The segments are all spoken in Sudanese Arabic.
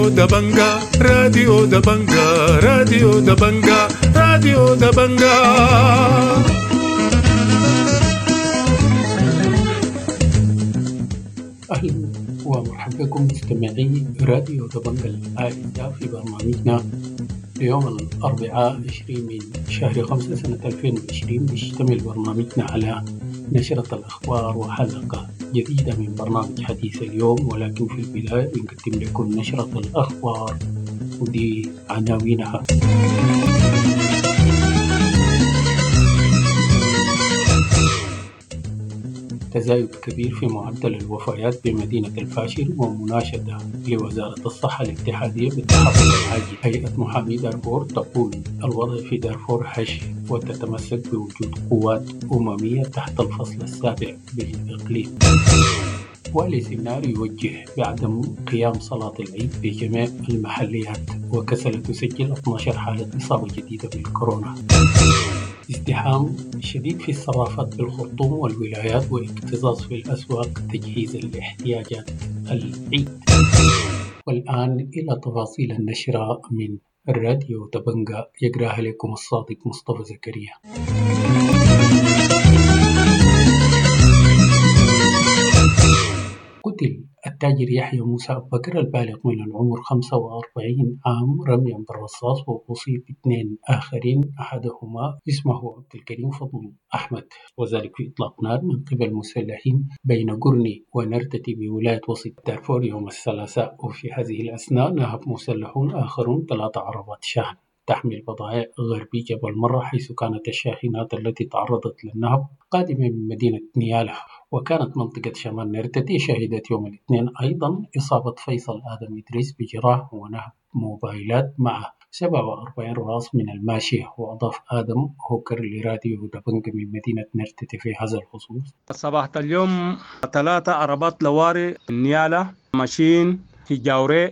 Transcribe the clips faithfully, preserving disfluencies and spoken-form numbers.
راديو دبنجا، راديو دبنجا، راديو دبنجا، راديو دبنجا. أهلا ومرحبا بكم مستمعي راديو دبنجا الأعزاء في برنامجنا ليوم الأربعاء عشرين من شهر خمسة سنة ألفين وعشرين. بيشتمل برنامجنا على نشرة الأخبار وحلقة جديدة من برنامج حديث اليوم، ولكن في البداية بنقدم لكم نشرة الأخبار ودي عناوينها. تزايد كبير في معدل الوفيات بمدينة الفاشر ومناشدة لوزارة الصحة الاتحادية بالتحرك العاجل. هيئة محامي دارفور تقول الوضع في دارفور هش وتتمسك بوجود قوات أممية تحت الفصل السابع بالإقليم. والي سنار يوجه بعدم قيام صلاة العيد بجميع المحليات، وكسلة تسجل اثني عشر حالة إصابة جديدة بالكورونا. ازدحام شديد في الصرافات بالخرطوم والولايات واكتظاظ في الأسواق تجهيزا لاحتياجات العيد. والآن إلى تفاصيل النشرة من الراديو دبنجا، يقراها لكم الصادق مصطفى زكريا. قتل التاجر يحيى موسى أبو بكر البالغ من العمر خمسة وأربعين عام رميا بالرصاص، وأصيب اثنين آخرين أحدهما اسمه عبد الكريم فضل أحمد، وذلك في إطلاق نار من قبل مسلحين بين قرني ونرتتي بولاية وسط دارفور يوم الثلاثاء. وفي هذه الأثناء نهب مسلحون آخرون ثلاث عربات شحن تحمل بضائع غربي جبل مرة، حيث كانت الشاحنات التي تعرضت للنهب قادمة من مدينة نيالا. وكانت منطقة شمال نرتتي شهدت يوم الاثنين أيضا إصابة فيصل آدم إدريس بجراح ونهب موبايلات مع سبعة وأربعين راس من الماشية. وأضاف آدم هوكر لراديو دبنج من مدينة نرتتي في هذا الخصوص: صباح اليوم ثلاثة عربات لواري نيالا ماشيين في جاوري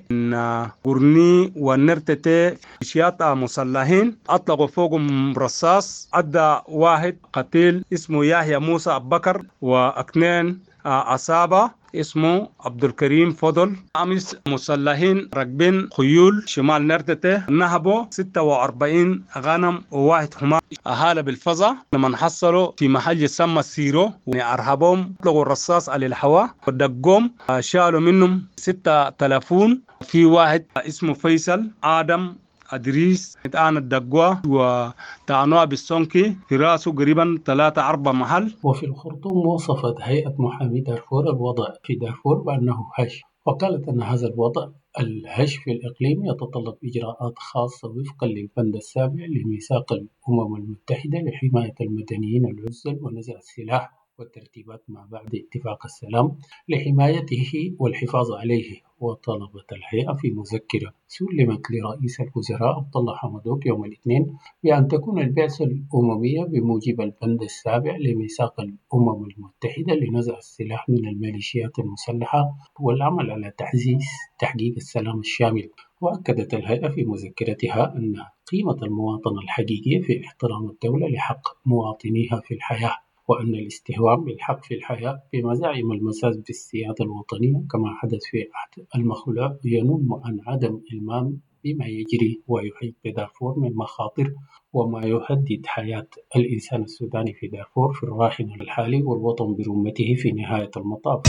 قرني ونرتتي شياطة مسلحين أطلقوا فوقهم رصاص، أدى واحد قتيل اسمه يحيى موسى أبو بكر، واثنين عصابة اسمه عبد الكريم فضل. أمس مسلحين راكبين خيول شمال نرتتي نهبوا ستة وأربعين غنم وواحد حمار. أهالي بالفظة لما حصلوا في محل يسمى سيرو أرهبهم، اطلقوا الرصاص على الهواء ودقوم، شالوا منهم ستة تلفون. في واحد اسمه فيصل آدم أدريس الآن الدقوة وتعنوها بالسونكي في راسه قريبا ثلاثة أربعة محل. وفي الخرطوم وصفت هيئة محامي دارفور الوضع في دارفور بأنه هش، وقالت أن هذا الوضع الهش في الإقليم يتطلب إجراءات خاصة وفقا للبند السابع لميثاق الأمم المتحدة لحماية المدنيين العزل ونزع السلاح والترتيبات ما بعد اتفاق السلام لحمايته والحفاظ عليه. وطلبت الهيئة في مذكرة سلمت لرئيس الوزراء عبد الله حمدوك يوم الاثنين بأن تكون البعثة الأممية بموجب البند السابع لميثاق الأمم المتحدة لنزع السلاح من الميليشيات المسلحة والعمل على تعزيز تحقيق السلام الشامل. وأكدت الهيئة في مذكرتها أن قيمة المواطنة الحقيقية في احترام الدولة لحق مواطنيها في الحياة، وأن الاستهوان بالحق في الحياة بمزاعم المساس بالسيادة الوطنية كما حدث في عهد المخلوع ينم عن عدم إلمام بما يجري ويحيط بدارفور من مخاطر وما يهدد حياة الإنسان السوداني في دارفور في الراهن الحالي والوطن برمته في نهاية المطاف.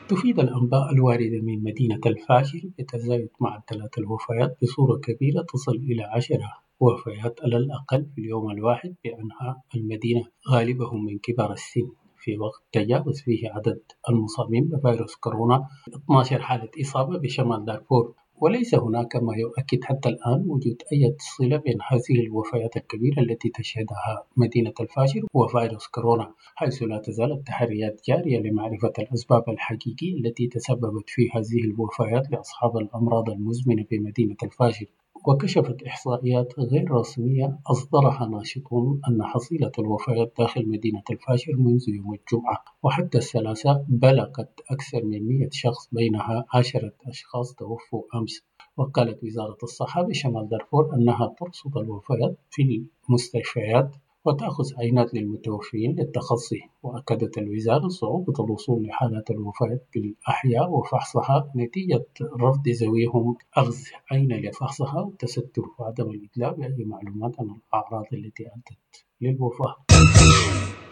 تفيد الأنباء الواردة من مدينة الفاشر بتزايد معدلات الوفيات بصورة كبيرة تصل إلى عشرة وفيات على الأقل في اليوم الواحد بأنحاء المدينة، غالبهم من كبار السن، في وقت تجاوز فيه عدد المصابين بفيروس كورونا اثني عشر حالة إصابة بشمال دارفور. وليس هناك ما يؤكد حتى الآن وجود أي صلة بين هذه الوفيات الكبيرة التي تشهدها مدينة الفاشر وفيروس كورونا، حيث لا تزال التحريات جارية لمعرفة الأسباب الحقيقية التي تسببت في هذه الوفيات لأصحاب الأمراض المزمنة بمدينة الفاشر. وكشفت إحصائيات غير رسمية أصدرها ناشطون أن حصيلة الوفيات داخل مدينة الفاشر منذ يوم الجمعة وحتى الثلاثاء بلغت أكثر من مئة شخص، بينها عشرة أشخاص توفوا أمس. وقالت وزارة الصحة بشمال دارفور أنها ترصد الوفيات في المستشفيات وتأخذ عينات للمتوفيين للتخصي. وأكدت الوزارة صعوبة الوصول لحالات الوفاة بالأحياء وفحصها نتيجة رفض ذويهم أخذ عينة لفحصها والتستر وعدم الإدلاء بأي معلومات عن الأعراض التي أدت للوفاة.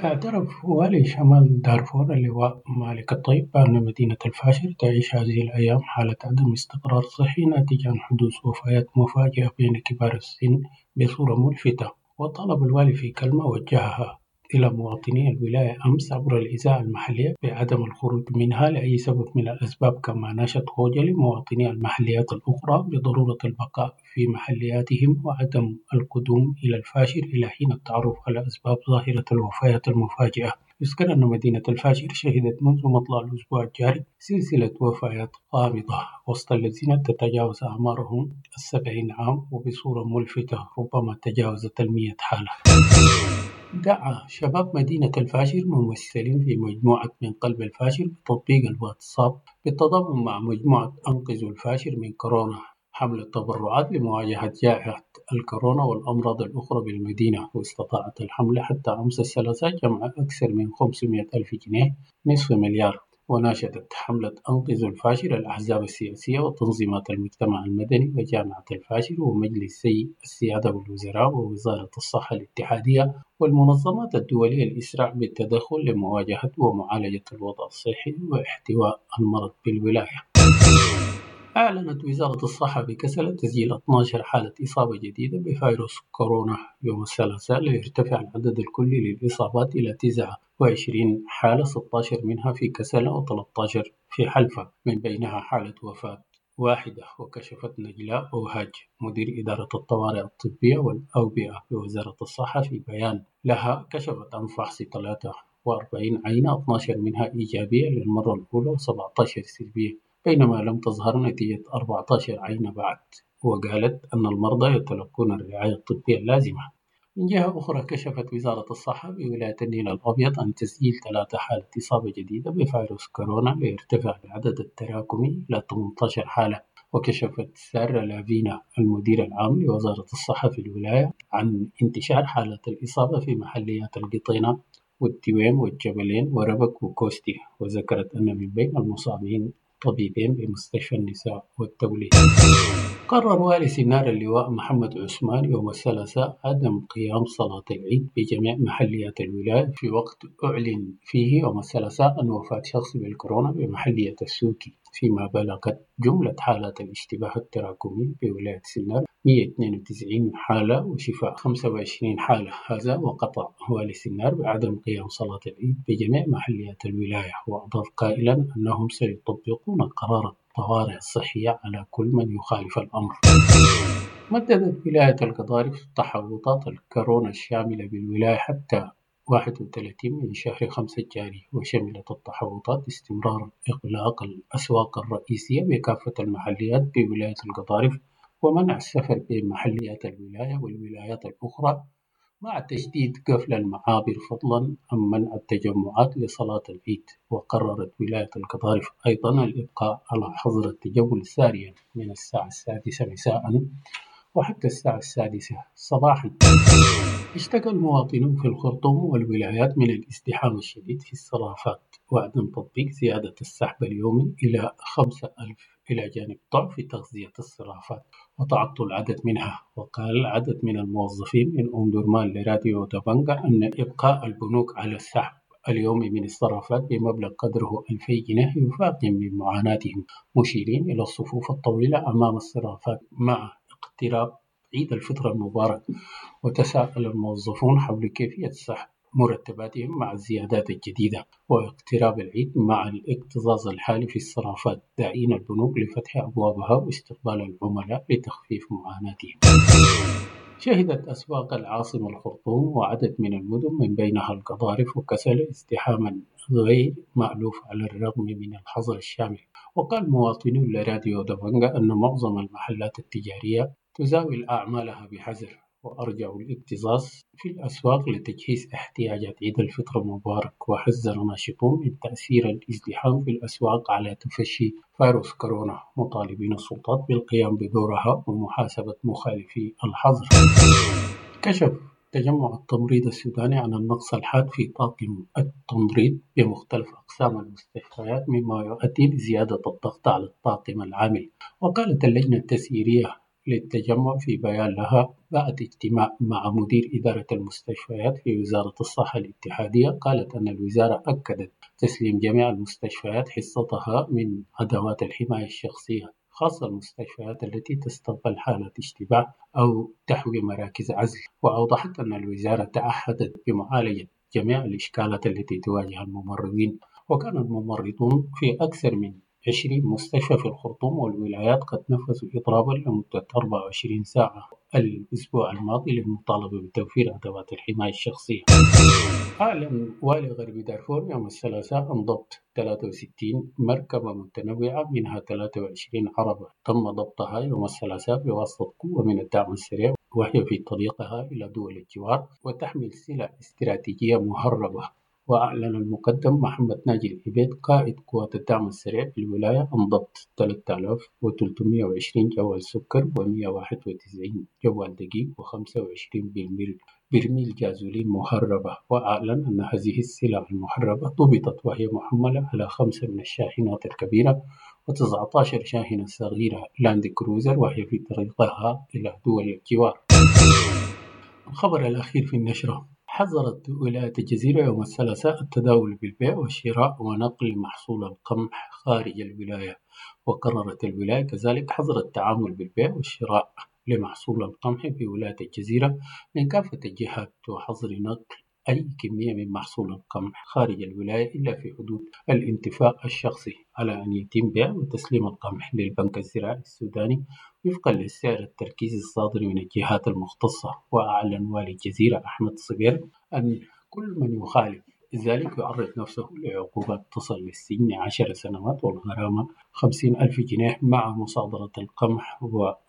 اعترف والي شمال دارفور اللواء مالك الطيب بأن مدينة الفاشر تعيش هذه الأيام حالة عدم استقرار صحي ناتج عن حدوث وفيات مفاجئة بين كبار السن بصورة ملفتة. وطالب الوالي في كلمة وجهها إلى مواطني الولاية أمس عبر الإذاعة المحلية بعدم الخروج منها لأي سبب من الأسباب، كما ناشد خوجلي مواطني المحليات الأخرى بضرورة البقاء في محلياتهم وعدم القدوم إلى الفاشر إلى حين التعرف على أسباب ظاهرة الوفيات المفاجئة. يذكر أن مدينة الفاشر شهدت منذ مطلع الأسبوع الجاري سلسلة وفيات غامضة وسط الذين تتجاوز أعمارهم السبعين عام وبصورة ملفتة ربما تجاوزت المئة حالة. دعا شباب مدينة الفاشر ممثلين في مجموعة من قلب الفاشر بتطبيق الواتساب بالتضامن مع مجموعة أنقذوا الفاشر من كورونا حملة تبرعات لمواجهة جائحة الكورونا والأمراض الأخرى بالمدينة. واستطاعت الحملة حتى أمس الثلاثاء جمع أكثر من خمسمائة ألف جنيه، نصف مليار. وناشدت حملة أنقذوا الفاشر الأحزاب السياسية وتنظيمات المجتمع المدني وجامعة الفاشر ومجلسي السيادة والوزراء ووزارة الصحة الاتحادية والمنظمات الدولية الإسراع بالتدخل لمواجهة ومعالجة الوضع الصحي واحتواء المرض بالولاية. أعلنت وزارة الصحة بكسلا تسجيل اثني عشر حالة إصابة جديدة بفيروس كورونا يوم الثلاثاء، ليرتفع العدد الكلي للإصابات إلى تسعة وعشرين حالة، ستة عشر منها في كسلا وثلاثة عشر في حلفا، من بينها حالة وفاة واحدة. وكشفت نجلاء أوهاج مدير إدارة الطوارئ الطبية والأوبئة بوزارة الصحة في بيان لها كشفت عن فحص ثلاثة وأربعين عينة، اثني عشر منها إيجابية للمرة الأولى وسبعة عشر سلبية، بينما لم تظهر نتيجة أربعة عشر عينة بعد. وقالت أن المرضى يتلقون الرعاية الطبية اللازمة. من جهة أخرى كشفت وزارة الصحة بولاية النيل الأبيض عن تسجيل ثلاثة حالة إصابة جديدة بفيروس كورونا ليرتفع العدد التراكمي إلى ثمانية عشر حالة. وكشفت سارة لافينا المدير العام لوزارة الصحة في الولاية عن انتشار حالات الإصابة في محليات القطينة والدويم والجبلين وربك وكوستي. وذكرت أن من بين المصابين طبيبين بمستشفى النساء والتوليد. قرر والي سنار اللواء محمد عثمان يوم الثلاثاء عدم قيام صلاة العيد بجميع محليات الولاية في وقت أعلن فيه يوم الثلاثاء عن وفاة شخص بالكورونا بمحلية السوكي، فيما بلغت جملة حالات الاشتباه التراكمي بولاية سنار مئة واثنين وتسعين حالة وشفاء خمسة وعشرين حالة. هذا وقطع والي سنار بعدم قيام صلاة العيد بجميع محليات الولاية. وأضاف قائلا أنهم سيطبقون قرار الطوارئ الصحية على كل من يخالف الأمر. مددت ولاية القضارف تحوطات الكورونا الشاملة بالولاية حتى واحد وثلاثين من شهر خمسة الجاري، وشملت التحوطات استمرار إغلاق الأسواق الرئيسية بكافة المحليات بولاية القضارف ومنع السفر بين محليات الولاية والولايات الأخرى، مع تشديد قفل المعابر فضلا عن منع التجمعات لصلاة العيد. وقررت ولاية القضارف أيضا الإبقاء على حظر التجول ساريا من الساعة السادسة مساء وحتى الساعة السادسة صباحا. اشتكى المواطنون في الخرطوم والولايات من الازدحام الشديد في الصرافات وعدم تطبيق زيادة السحب اليومي إلى خمسة ألف، إلى جانب ضعف تغذية الصرافات وتعطل عدد منها. وقال عدد من الموظفين من أم درمان لراديو دبنقا أن إبقاء البنوك على السحب اليومي من الصرافات بمبلغ قدره ألفي جنيه يفاقم من معاناتهم، مشيرين إلى الصفوف الطويلة أمام الصرافات مع اقتراب عيد الفطر المبارك. وتساءل الموظفون حول كيفية سحب مرتباتهم مع الزيادات الجديدة واقتراب العيد مع الاكتظاظ الحالي في الصرافات، داعين البنوك لفتح أبوابها واستقبال العملاء لتخفيف معاناتهم. شهدت أسواق العاصمة الخرطوم وعدد من المدن من بينها القضارف وكسلا ازدحاما غير مألوف على الرغم من الحظر الشامل. وقال مواطنون لراديو دبنقا أن معظم المحلات التجارية تزاول أعمالها بحذر، وأرجعوا الاكتظاظ في الأسواق لتجهيز احتياجات عيد الفطر المبارك. وحذر ناشطون من تأثير الازدحام في الأسواق على تفشي فيروس كورونا، مطالبين السلطات بالقيام بدورها ومحاسبة مخالفي الحظر. كشف تجمع التمريض السوداني عن النقص الحاد في طاقم التمريض بمختلف أقسام المستشفيات، مما يؤدي لزيادة الضغط على الطاقم العامل. وقالت اللجنة التسييرية للتجمع في بيان لها بعد اجتماع مع مدير إدارة المستشفيات في وزارة الصحة الاتحادية، قالت أن الوزارة أكدت تسليم جميع المستشفيات حصتها من أدوات الحماية الشخصية، خاصة المستشفيات التي تستقبل حالات اشتباه أو تحوي مراكز عزل. وأوضحت أن الوزارة تعهدت بمعالجة جميع الإشكالات التي تواجه الممرضين. وكان الممرضون في أكثر من عشرين مستشفى في الخرطوم والولايات قد نفذوا إضرابا لمدة أربعة وعشرين ساعة الأسبوع الماضي للمطالبة بتوفير أدوات الحماية الشخصية. أعلن والي غرب دارفور يوم الثلاثاء عن ضبط ثلاثة وستين مركبة متنوعة منها ثلاثة وعشرين عربة تم ضبطها يوم الثلاثاء بواسطة قوة من الدعم السريع وهي في طريقها إلى دول الجوار وتحمل سلع استراتيجية مهربة. وأعلن المقدم محمد ناجي العبيد قائد قوات الدعم السريع في الولاية عن ضبط ثلاثة آلاف وثلاثمئة وعشرين جوال سكر ومئة وواحد وتسعين جوال دقيق وخمسة وعشرين برميل برميل جازولين مهربة. وأعلن أن هذه السلع المهربة ضبطت وهي محملة على خمسة من الشاحنات الكبيرة وتسعة عشر شاحنة صغيرة لاند كروزر وهي في طريقها إلى دول الجوار. الخبر الأخير في النشرة: حظرت ولاية الجزيرة يوم الثلاثاء التداول بالبيع والشراء ونقل محصول القمح خارج الولاية. وقررت الولاية كذلك حظر التعامل بالبيع والشراء لمحصول القمح في ولاية الجزيرة من كافة الجهات، وحظر نقل أي كمية من محصول القمح خارج الولاية إلا في حدود الانتفاع الشخصي، على أن يتم بيع وتسليم القمح للبنك الزراعي السوداني وفقا للسعر التركيزي الصادر من الجهات المختصة. وأعلن والي الجزيرة أحمد صبير أن كل من يخالف ذلك يعرض نفسه لعقوبات تصل للسجن عشر سنوات والغرامة خمسين ألف جنيه مع مصادرة القمح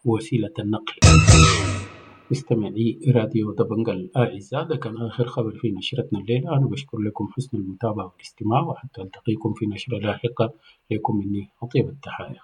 ووسيلة النقل. مستمعي راديو دبنجا الأعزاء، ده كان آخر خبر في نشرتنا الليلة. أنا بشكر لكم حسن المتابعة والاستماع، وحتى ألتقيكم في نشرة لاحقة. لكم مني أطيب التحايا.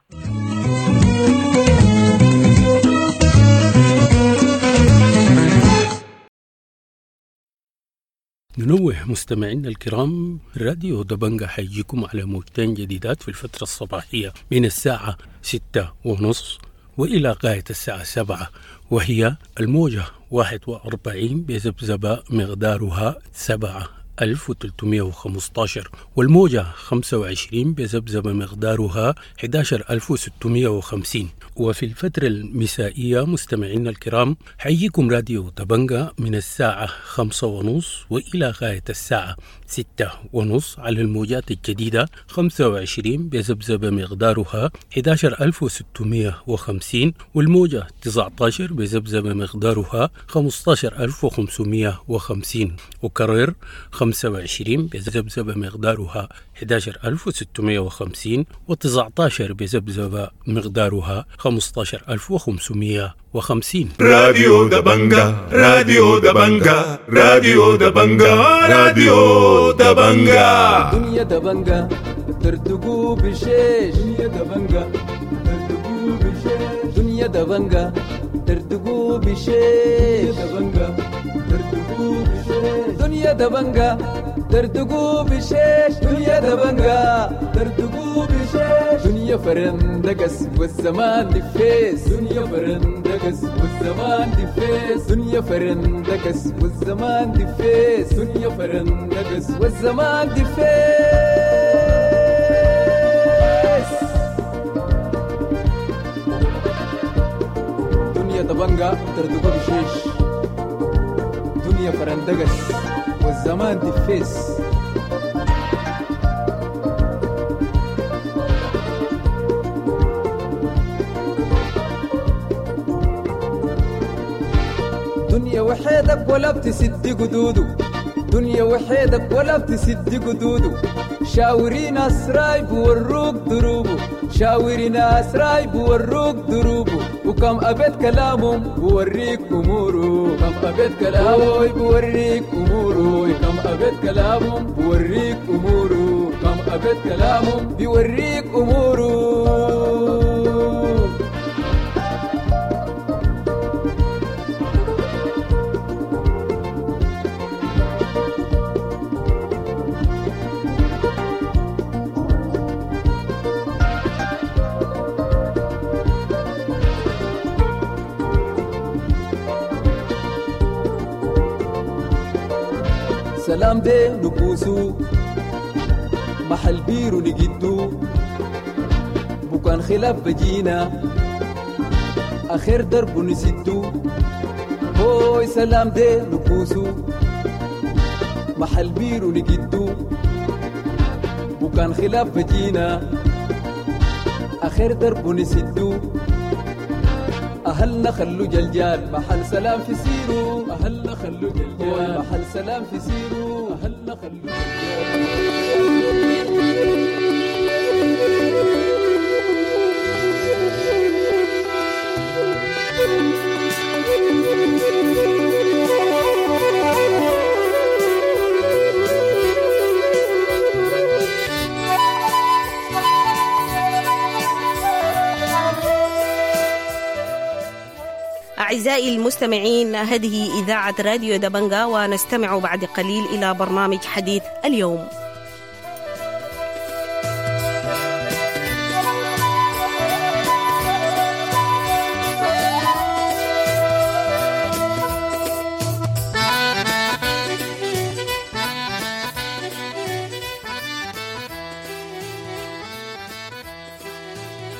ننوه مستمعينا الكرام، راديو دبنجا حيجيكم على موجتين جديدات في الفترة الصباحية من الساعة ستة ونص وإلى غاية الساعة سبعة، وهي الموجة واحد وأربعين بذبذبة مقدارها سبعة ألف وثلاثمئة وخمسة عشر، والموجة خمسة وعشرين بذبذبة مقدارها أحد عشر ألف وستمئة وخمسين. وفي الفترة المسائية مستمعينا الكرام حييكم راديو دبنجا من الساعة خمسة ونص وإلى غاية الساعة ستة ونص على الموجات الجديدة خمسة وعشرين بذبذبة مقدارها أحد عشر ألف وستمئة وخمسين، والموجة تسعة عشر بذبذبة مقدارها خمسة عشر ألف وخمسمئة وخمسين. وكرر خمسة وعشرين بذبذبة مقدارها أحد عشر ألف وستمئة وخمسين، وتسعة عشر بذبذبة مقدارها خمسة عشر ألف وخمسمئة وخمسين. راديو دبنجا، راديو دبنجا، راديو دبنجا، راديو دبنجا. دنيا دبنجا ترتقو بشيش، دنيا دبنجا ترتقو بشيش، دنيا دبنجا ترتقو بشيش، دبنجا ترتقو بشيش، دنيا دبنجا ترتقو بشيش، دنيا دبنجا ترتقو بشيش، دنيا فرندقس والزمان دفيس، دنيا فرندقس والزمان دفيس، دنيا فرندقس والزمان دفيس، دنيا فرندقس والزمان دفيس. دنيا دبنجا ترتقو بشيش، دنيا فرندقس والزمان دفيس. دنيا وحيدك ولا بتسد قدوده، دنيا وحيدك ولا بتسد قدوده، شاوري ناس رايب وروك دروبه، شاوري ناس رايب وروك دروبه، وكم أبيت كلامهم بوريك أموره، كم أبيت كلامه بوريك أموره، كم أبيت كلامهم بوريك أموره، كم أبيت كلامهم بيوريك أموره. سلام دي نكوسو محل بيرو نجدو بكان خلاف بجينا آخر درب نسدو هوي سلام دي نكوسو محل بيرو نجدو وكان خلاف بجينا آخر درب نسدو أهلنا خلو جلجال محل سلام في سيرو أهلنا خلو جلجال محل سلام في سيرو أهلنا خلو جلجال. أعزائي المستمعين، هذه إذاعة راديو دبنجا، ونستمع بعد قليل إلى برنامج حديث اليوم.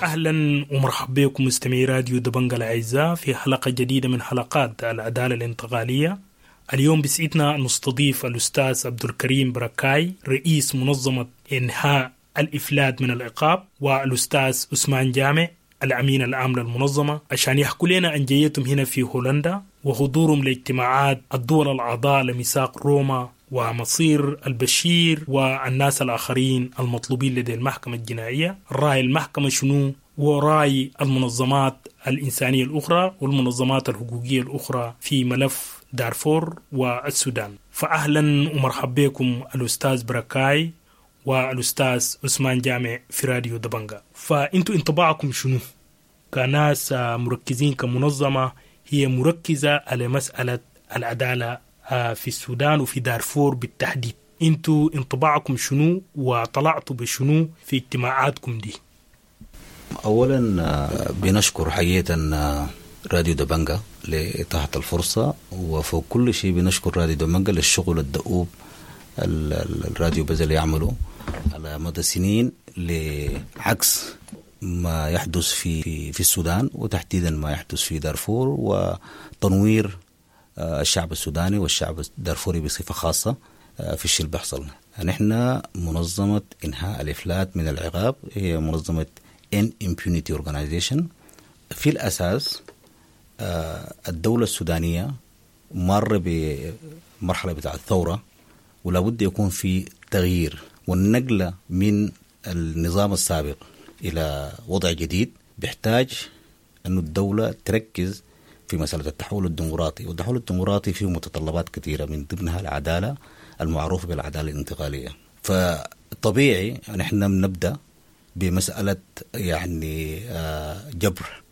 أهلا ومرحبا بكم مستمعي راديو دبنجا الأعزاء في حلقة جديدة من حلقات العدالة الانتقالية. اليوم بسعدنا نستضيف الأستاذ عبد الكريم بركاي، رئيس منظمة إنهاء الإفلات من العقاب، والأستاذ عثمان جامع الأمين العام للمنظمة، عشان يحكوا لنا عن جيتهم هنا في هولندا وحضورهم لاجتماعات الدول الأعضاء لميثاق روما ومصير البشير والناس الآخرين المطلوبين لدى المحكمة الجنائية، رأي المحكمة شنو ورأي المنظمات الإنسانية الأخرى والمنظمات الحقوقية الأخرى في ملف دارفور والسودان. فأهلا ومرحبا بكم الأستاذ بركاي والأستاذ عثمان جامع في راديو دبنجا. فأنتوا انطباعكم شنو كناس مركزين كمنظمة هي مركزة على مسألة العدالة في السودان وفي دارفور بالتحديد؟ انتوا انطباعكم شنو وطلعتوا بشنو في اجتماعاتكم دي؟ اولا بنشكر حقيقة راديو دبنجا لإتاحة الفرصة، وفوق كل شيء بنشكر راديو دبنجا للشغل الدؤوب الراديو بذل يعمله على مدى سنين لعكس ما يحدث في في السودان، وتحديدا ما يحدث في دارفور، وتنوير الشعب السوداني والشعب الدارفوري بصفة خاصة في الشيء اللي بيحصل. نحن منظمة إنهاء الإفلات من العقاب، هي منظمة End Impunity Organization. في الأساس الدولة السودانية مر بمرحلة بتاع الثورة، ولا بد يكون في تغيير والنقلة من النظام السابق إلى وضع جديد بيحتاج أن الدولة تركز في مسألة التحول الديمقراطي، والتحول الديمقراطي فيه متطلبات كثيرة من ضمنها العدالة المعروفة بالعدالة الانتقالية. فطبيعي نحن بنبدأ بمسألة يعني جبر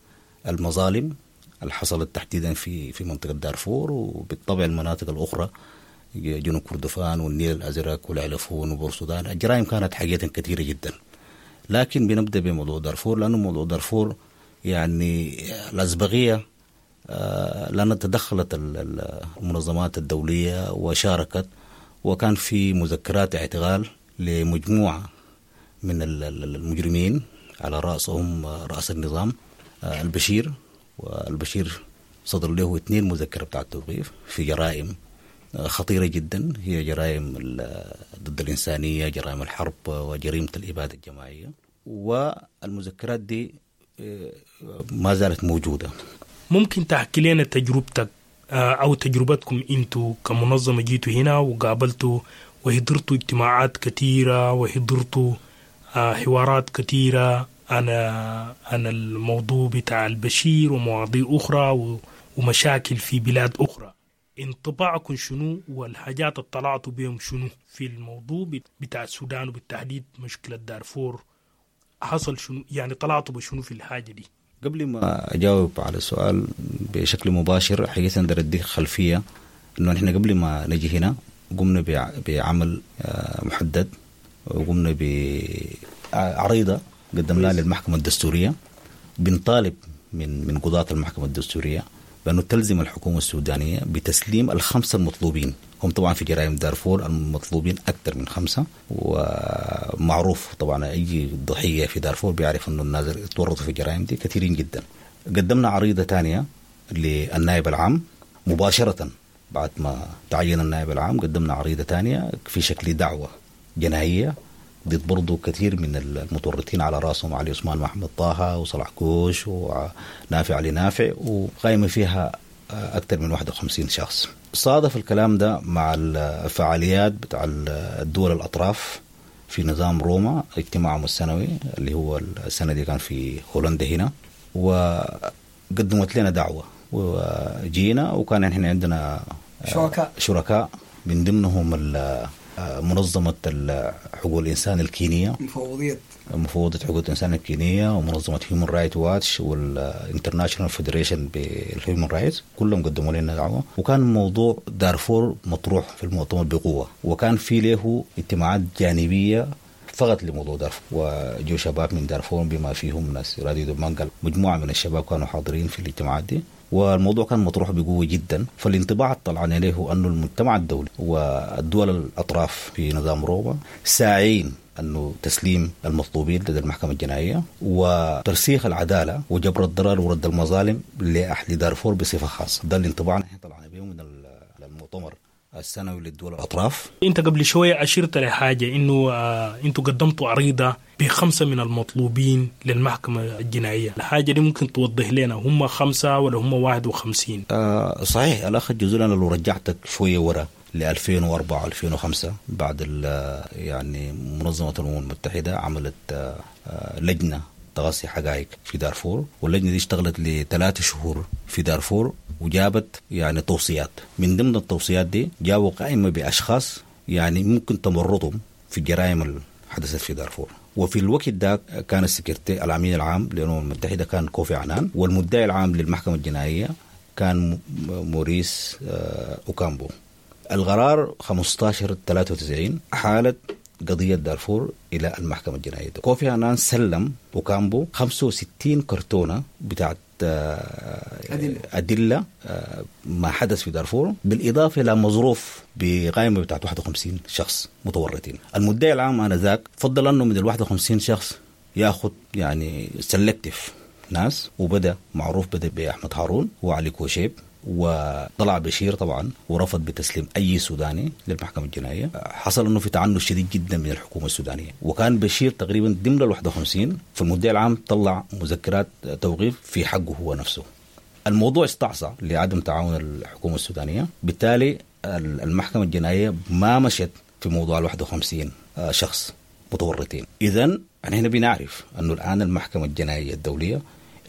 المظالم اللي حصلت تحديدا في في منطقة دارفور، وبالطبع المناطق الأخرى جنوب كردفان والنيل الأزرق والعلفون وبورسودان. الجرائم كانت حقيقة كثيرة جدا، لكن بنبدأ بموضوع دارفور لأنه موضوع دارفور يعني الأسبقية، لأن تدخلت المنظمات الدولية وشاركت، وكان في مذكرات اعتقال لمجموعة من المجرمين على رأسهم رأس النظام البشير، والبشير صدر له اثنين مذكرة بتاع التوقيف في جرائم خطيرة جدا، هي جرائم ضد الإنسانية، جرائم الحرب، وجريمة الإبادة الجماعية. والمذكرات دي ما زالت موجودة. ممكن تحكي لنا تجربتك أو تجربتكم أنتوا كمنظمة جيتوا هنا وقابلتوا وحضرتوا اجتماعات كثيرة وحضرتوا حوارات كثيرة عن عن الموضوع بتاع البشير ومواضيع أخرى ومشاكل في بلاد أخرى. انطباعكم شنو والحاجات اللي طلعتوا بهم شنو في الموضوع بتاع السودان وبالتحديد مشكلة دارفور؟ حصل شنو يعني، طلعتوا بشنو في الحاجة دي؟ قبل ما أجاوب على السؤال بشكل مباشر حقيقة أقدر أديك خلفية إنه نحن قبل ما نجي هنا قمنا بعمل محدد، وقمنا بعريضة قدمناها للمحكمة الدستورية، بنطالب من من قضاة المحكمة الدستورية بأنه تلزم الحكومة السودانية بتسليم الخمسة المطلوبين. هم طبعا في جرائم دارفور المطلوبين أكثر من خمسة، ومعروف طبعا أي ضحية في دارفور بيعرف أنه الناس تورطوا في الجرائم دي كثيرين جدا. قدمنا عريضة ثانية للنائب العام مباشرة بعد ما تعين النائب العام، قدمنا عريضة ثانية في شكل دعوة جنائية ضد برضو كثير من المتورطين على راسهم علي عثمان محمد طه وصلاح كوش ونافع علي نافع، وقائمة فيها أكثر من واحد وخمسين شخص. صادف الكلام ده مع الفعاليات بتاع الدول الأطراف في نظام روما، اجتماعهم السنوي اللي هو السنة دي كان في هولندا هنا، وقدمت لنا دعوة وجينا، وكان احنا عندنا شركاء شركاء من ضمنهم منظمة حقوق الإنسان الكينية، مفوضية مفوضية حقوق الإنسان الكينية، ومنظمة هيومن رايت واتش وال International Federation بال Human Rights، كلهم قدموا لنا دعوة. وكان موضوع دارفور مطروح في المؤتمر بقوة، وكان في له اجتماعات جانبية فقط لموضوع دارفور، وجو شباب من دارفور بما فيهم ناس راديو دبنجا، مجموعة من الشباب كانوا حاضرين في الاجتماعات دي، والموضوع كان مطروح بقوة جدا. فالانطباع طلعنا عليه أنه المجتمع الدولي والدول الأطراف في نظام روما ساعين أنه تسليم المطلوبين لدى المحكمة الجنائية وترسيخ العدالة وجبر الضرر ورد المظالم لأهل دارفور بصفة خاصة. ده الانطباع نحن طلعنا به من المؤتمر السنوي للدول الأطراف. أنت قبل شوية أشرت لحاجة إنه آه أنتوا قدمتوا عريضة بخمسة من المطلوبين للمحكمة الجنائية، الحاجة دي ممكن توضح لنا هم خمسة ولا هم واحد وخمسين؟ آه صحيح الأخ الجزول، أنا لو رجعتك شوية ورا ل ألفين وأربعة ألفين وخمسة بعد يعني منظمة الأمم المتحدة عملت آه لجنة تغطي حقائق في دارفور، واللجنة دي اشتغلت لثلاثة شهور في دارفور وجابت يعني توصيات. من ضمن التوصيات دي جابوا قائمة بأشخاص يعني ممكن تمرطهم في الجرائم اللي حدثت في دارفور. وفي الوقت ده كان السكرتير الأمين العام للأمم المتحدة كان كوفي عنان، والمدعي العام للمحكمة الجنائية كان موريس أوكامبو. القرار خمسة عشر ثلاثة وتسعين حالت قضية دارفور إلى المحكمة الجنائية. كوفي عنان سلم أوكامبو خمسة وستين كرتونة بتاعت أدلة, أدلة ما حدث في دارفور، بالإضافة إلى مظروف بقائمة بتاعت واحد وخمسين شخص متورطين. المدعي العام آنذاك فضل أنه من ال واحد وخمسين شخص يأخذ يعني selective ناس، وبدأ معروف بدأ بأحمد هارون وعلي كوشيب، وطلع بشير طبعا ورفض بتسليم أي سوداني للمحكمة الجنائية. حصل أنه في تعنت شديد جدا من الحكومة السودانية، وكان بشير تقريبا ضمن ال واحد وخمسين. فالمدعي العام طلع مذكرات توقيف في حقه هو نفسه. الموضوع استعصى لعدم تعاون الحكومة السودانية، بالتالي المحكمة الجنائية ما مشت في موضوع ال واحد وخمسين شخص متورطين. إذن نحن بنعرف أنه الآن المحكمة الجنائية الدولية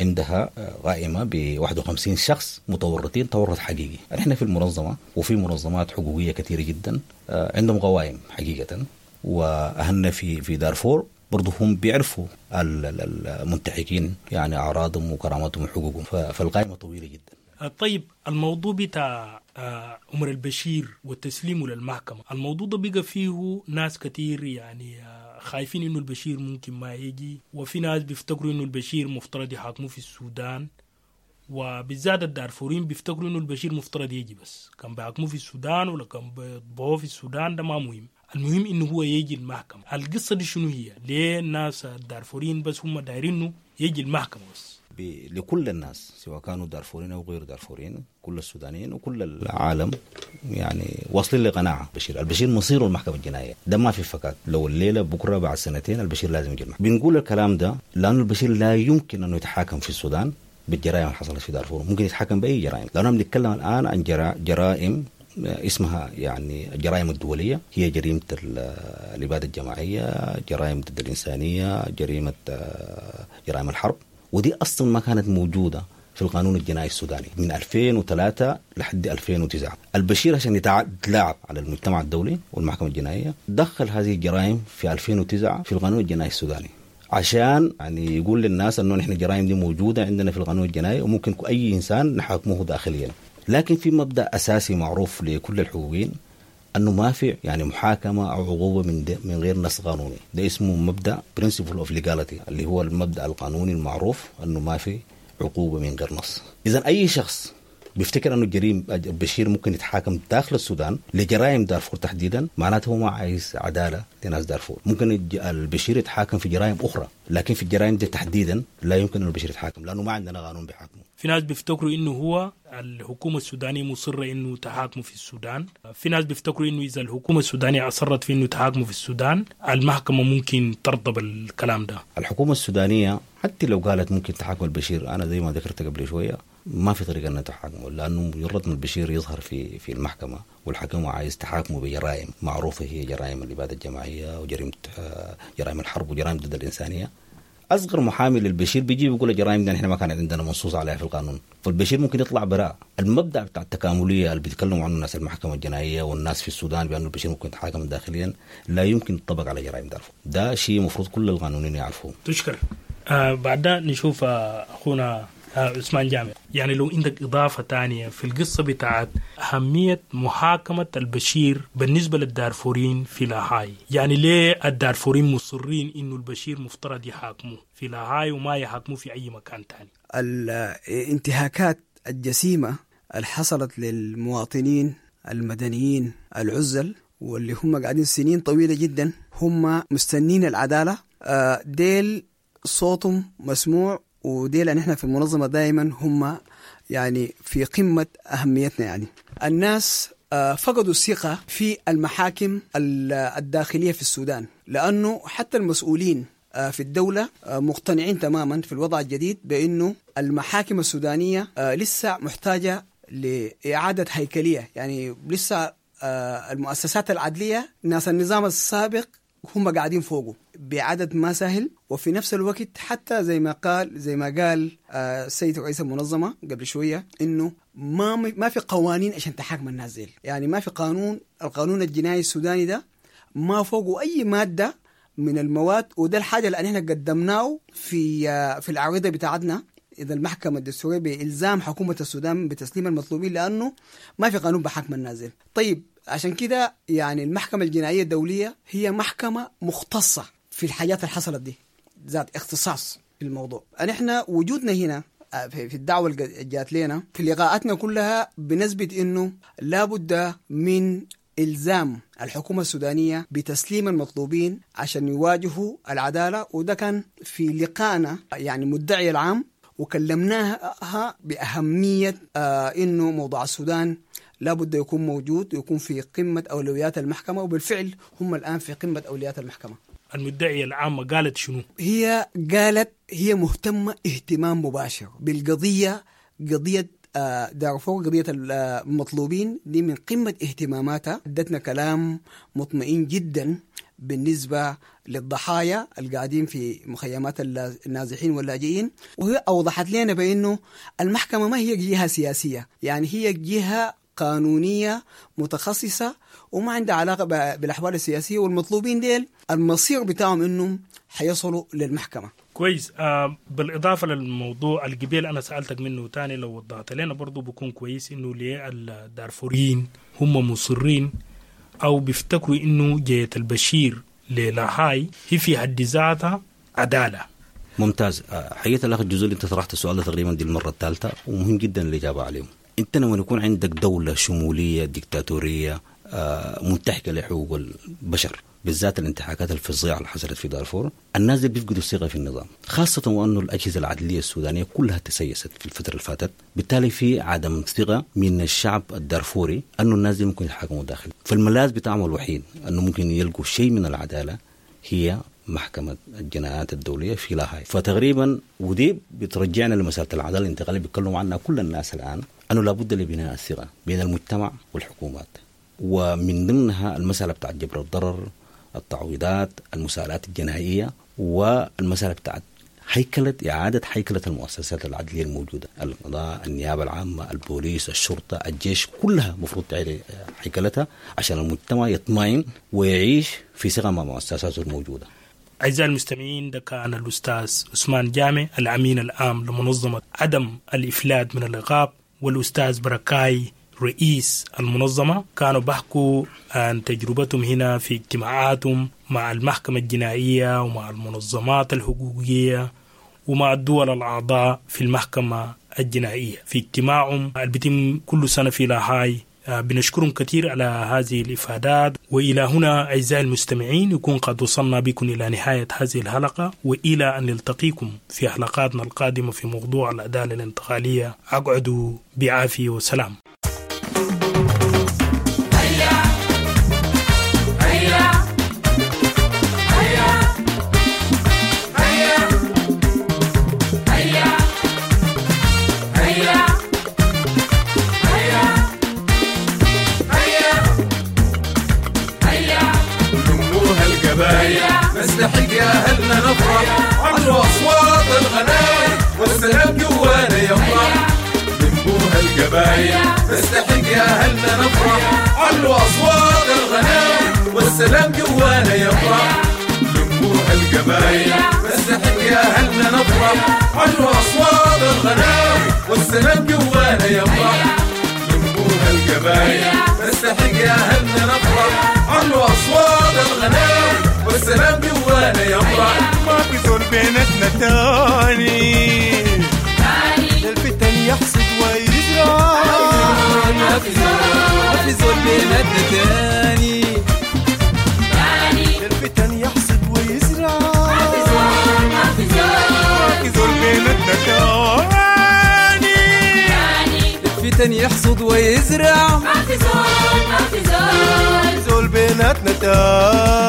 عندها قائمة ب واحد وخمسين شخص متورطين تورط حقيقي. نحن في المنظمة وفي منظمات حقوقية كثيرة جدا عندهم قوائم حقيقة، وأهلنا في في دارفور برضو هم بيعرفوا المنتحكين يعني أعراضهم وكرامتهم وحقوقهم، فالقائمة طويلة جدا. طيب الموضوع بتاع عمر البشير وتسليمه للمحكمة، الموضوع ده بقى فيه ناس كتير يعني خايفين إنه البشير ممكن ما يجي، وفي ناس بيفتكروا إنه البشير مفترض يحاكموه في السودان، وبالذات الدارفورين بيفتكروا إنه البشير مفترض يجي، بس كان بيحاكموه في السودان ولا كان بيطبعوه في السودان ده ما مهم، المهم إنه هو يجي المحكمة. القصة دي شنو هي؟ ليه الناس الدارفورين بس هم دايرينه يجي المحكمة بس؟ لكل الناس سواء كانوا دارفورين أو غير دارفورين، كل السودانيين وكل العالم يعني واصلين لقناعة بشير، البشير مصيره المحكمة الجنائية، ده ما في فكاك، لو الليلة بكرة بعد سنتين البشير لازم يجي المحكمة. بنقول الكلام ده لأنه البشير لا يمكن أنه يتحاكم في السودان بالجرائم اللي حصلت في دارفور، ممكن يتحاكم بأي جرائم، لأنه بنتكلم الآن عن جرائم اسمها يعني الجرائم الدولية، هي جريمة الإبادة الجماعية، جرائم ضد الإنسانية، جريمة جرائم الحرب، ودي أصلا ما كانت موجودة في القانون الجنائي السوداني من ألفين وثلاثة لحد ألفين وتسعة. البشير عشان يتلاعب على المجتمع الدولي والمحكمة الجنائية دخل هذه الجرائم في ألفين وتسعة في القانون الجنائي السوداني، عشان يعني يقول للناس أنه نحن الجرائم دي موجودة عندنا في القانون الجنائي وممكن أي إنسان نحاكمه داخليا. لكن في مبدأ أساسي معروف لكل الحقوقيين أنه ما في يعني محاكمة أو عقوبة من من غير نص قانوني، ده اسمه مبدأ principle of legality اللي هو المبدأ القانوني المعروف أنه ما في عقوبة من غير نص. إذا أي شخص بيفتكر انه الجريم البشير ممكن يتحاكم داخل السودان لجرائم دارفور تحديدا، معناته هو ما عايز عدالة لناس دارفور. ممكن البشير يتحاكم في جرائم اخرى، لكن في الجرائم دي تحديدا لا يمكن انه البشير يتحاكم لانه ما عندنا قانون بيحاكمه. في ناس بيفتكروا انه هو الحكومة السودانية مصرة انه تحاكمه في السودان، في ناس بيفتكروا انه اذا الحكومة السودانية اصرت في انه تحاكمه في السودان المحكمة ممكن ترضى بالكلام ده. الحكومة السودانية حتى لو قالت ممكن تحاكم البشير، انا زي ما ذكرت قبل شوية ما في طريقه انها تحاكمه، لانه مجرد ما البشير يظهر في في المحكمة والحكومة عايز تحاكمه بجرائم معروفة هي جرائم الابادة الجماعية وجريمة جرائم الحرب وجرائم ضد الانسانية، اصغر محامي للبشير بيجي بيقول الجرائم دي نحن ما كانت عندنا منصوص عليها في القانون، فالبشير ممكن يطلع براء. المبدا بتاع التكامليه اللي بيتكلموا عنه الناس المحكمة الجنائية والناس في السودان بانه البشير ممكن يتحاكم داخليا لا يمكن يطبق على جرائم دارفور، ده شيء المفروض كل القانونيين يعرفوه. تشكر. آه بعدها نشوف آه اخونا آه عثمان جامع، يعني لو عندك إضافة تانية في القصة بتاعت أهمية محاكمة البشير بالنسبة للدارفورين في لاهاي، يعني ليه الدارفورين مصرين إنه البشير مفترض يحاكموه في لاهاي وما يحاكموه في أي مكان تاني؟ الانتهاكات الجسيمة اللي حصلت للمواطنين المدنيين العزل واللي هم قاعدين سنين طويلة جدا هم مستنين العدالة، ديل صوتهم مسموع، وديل نحن في المنظمة دائما هم يعني في قمة أهميتنا. يعني الناس فقدوا الثقة في المحاكم الداخلية في السودان، لأنه حتى المسؤولين في الدولة مقتنعين تماما في الوضع الجديد بأنه المحاكم السودانية لسه محتاجة لإعادة هيكلية، يعني لسه المؤسسات العدلية ناس النظام السابق هم قاعدين فوقه بعدد ما سهل. وفي نفس الوقت حتى زي ما قال زي ما قال السيد رئيس المنظمة قبل شوية إنه ما ما في قوانين عشان تحاكم الناس ديل، يعني ما في قانون، القانون الجنائي السوداني ده ما فوقه أي مادة من المواد، وده الحاجة اللي احنا قدمناه في في العريضة بتاعتنا إذا المحكمة الدستورية بإلزام حكومة السودان بتسليم المطلوبين، لأنه ما في قانون بحاكم الناس ديل. طيب عشان كده يعني المحكمة الجنائية الدولية هي محكمة مختصة في الحاجات اللي حصلت دي، ذات اختصاص في الموضوع. نحن وجودنا هنا في الدعوة اللي جات لنا في لقاءاتنا كلها بنثبت إنه لابد من إلزام الحكومة السودانية بتسليم المطلوبين عشان يواجهوا العدالة، وده كان في لقائنا يعني مدعي العام وكلمناها بأهمية آه إنه موضوع السودان لابد يكون موجود ويكون في قمة أولويات المحكمة، وبالفعل هم الآن في قمة أولويات المحكمة. المدعية العامة قالت شنو؟ هي قالت هي مهتمة اهتمام مباشر بالقضية، قضية دارفور، قضية المطلوبين دي من قمة اهتماماتها. ادتنا كلام مطمئن جدا بالنسبة للضحايا القاعدين في مخيمات النازحين واللاجئين، وهي أوضحت لنا بأنه المحكمة ما هي جهة سياسية، يعني هي جهة قانونية متخصصة وما عندها علاقة بالأحوال السياسية، والمطلوبين ديل المصير بتاعهم إنهم حيصلوا للمحكمة. كويس. آه بالإضافة للموضوع القبيل أنا سألتك منه تاني لو وضحت لنا برضو بكون كويس، إنه ليه الدارفوريين هم مصرين أو بيفتكروا إنه جاية البشير للاهاي هي في حد ذاتها عدالة. ممتاز. حقيقة الأخ الجزء اللي أنت طرحت السؤال ده تقريبا دي المرة الثالثة، ومهم جدا الإجابة عليهم. أنت لما يكون عندك دولة شمولية ديكتاتورية منتهكة لحقوق البشر، بالذات الانتهاكات الفظيعة اللي حصلت في دارفور، الناس دي بيفقدوا الثقة في النظام، خاصة وأنه الأجهزة العدلية السودانية كلها تسيست في الفترة اللي فاتت، بالتالي في عدم ثقة من الشعب الدارفوري أنه الناس دي ممكن يتحاكموا داخل. فالملاذ بتاعهم الوحيد أنه ممكن يلقوا شيء من العدالة هي محكمة الجنايات الدولية في لاهاي. فتقريبا ودي بترجعنا لمسألة العدالة الانتقالية بيتكلموا عنها كل الناس الآن، أنه لابد لبناء الثقة بين المجتمع والحكومات، ومن ضمنها المسألة بتاعت جبر الضرر، التعويضات، المساءلات الجنائية، والمسألة بتاعت هيكلة إعادة هيكلة المؤسسات العدلية الموجودة، القضاء، النيابة العامة، البوليس، الشرطة، الجيش، كلها مفروض تعيد هيكلتها عشان المجتمع يطمئن ويعيش في ثقة مع مؤسساته الموجودة. أعزائي المستمعين، ده كان الأستاذ عثمان جامع الأمين العام لمنظمة عدم الإفلات من العقاب، والأستاذ بركاي رئيس المنظمة، كانوا بحكوا عن تجربتهم هنا في اجتماعاتهم مع المحكمة الجنائية ومع المنظمات الحقوقية ومع الدول الأعضاء في المحكمة الجنائية في اجتماعهم اللي بيتم كل سنة في لاهاي. بنشكرهم كثير على هذه الإفادات. وإلى هنا أعزائي المستمعين يكون قد وصلنا بكم إلى نهاية هذه الحلقة، وإلى أن نلتقيكم في حلقاتنا القادمة في موضوع العدالة الانتقالية. أقعدوا بعافية وسلام. نستحق يا أهلنا نفرح، علوا أصوات الغناوي والسلام جوانا يفرح. لموها القبايل نستحق يا أهلنا نفرح، علوا أصوات الغناوي والسلام جوانا يفرح. لموها القبايل نستحق يا أهلنا نفرح، علوا أصوات الغناوي والسلام جوانا يفرح. لموها القبايل نستحق يا أهلنا نفرح، علوا أصوات الغناوي والسلام جوانا يفرح. ما في زول بيناتنا تاني الفتن يحصد ويزرع، ما في زول ما في زول بيناتنا تاني الفتن يحصد ويزرع، ما في زول ما في زول ما في زول بيناتنا تاني الفتن يحصد ويزرع، ما في زول ما في زول زول بيناتنا تاني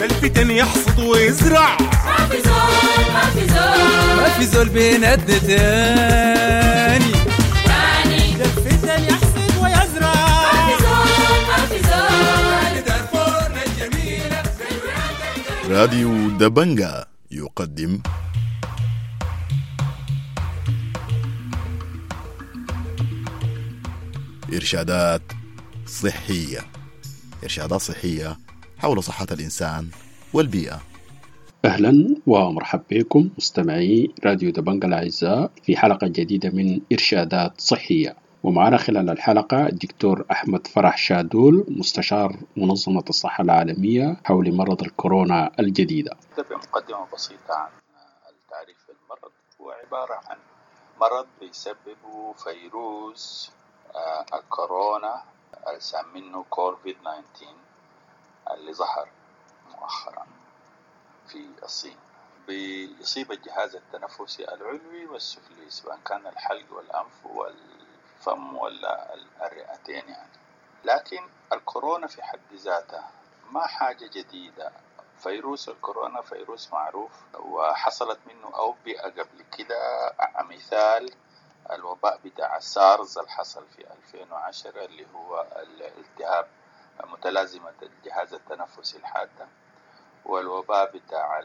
الفتن يحصد ويزرع، ما في زول ما في زول ما في زول بيناتنا تاني الفتن يحصد ويزرع، ما في زول ما في زول. دارفورنا الجميلة. راديو دبنجا يقدم إرشادات صحية، إرشادات صحية حول صحة الإنسان والبيئة. أهلا ومرحبا بكم مستمعي راديو دبنجا الأعزاء في حلقة جديدة من إرشادات صحية، ومعنا خلال الحلقة الدكتور أحمد فرح شادول مستشار منظمة الصحة العالمية حول مرض الكورونا الجديدة. بمقدمة بسيطة عن التعريف بالمرض، هو عبارة عن مرض بيسببه فيروس الكورونا اللي سمينه كوفيد تسعة عشر اللي ظهر مؤخرا في الصين. بيصيب الجهاز التنفسي العلوي والسفلي سواء كان الحلق والأنف والفم ولا الرئتين يعني. لكن الكورونا في حد ذاتها ما حاجة جديدة. فيروس الكورونا فيروس معروف وحصلت منه أوبئة قبل كده، مثال الوباء بتاع سارز اللي حصل في ألفين وعشرة اللي هو الالتهاب متلازمة الجهاز التنفسي الحادة، والوباء بتاع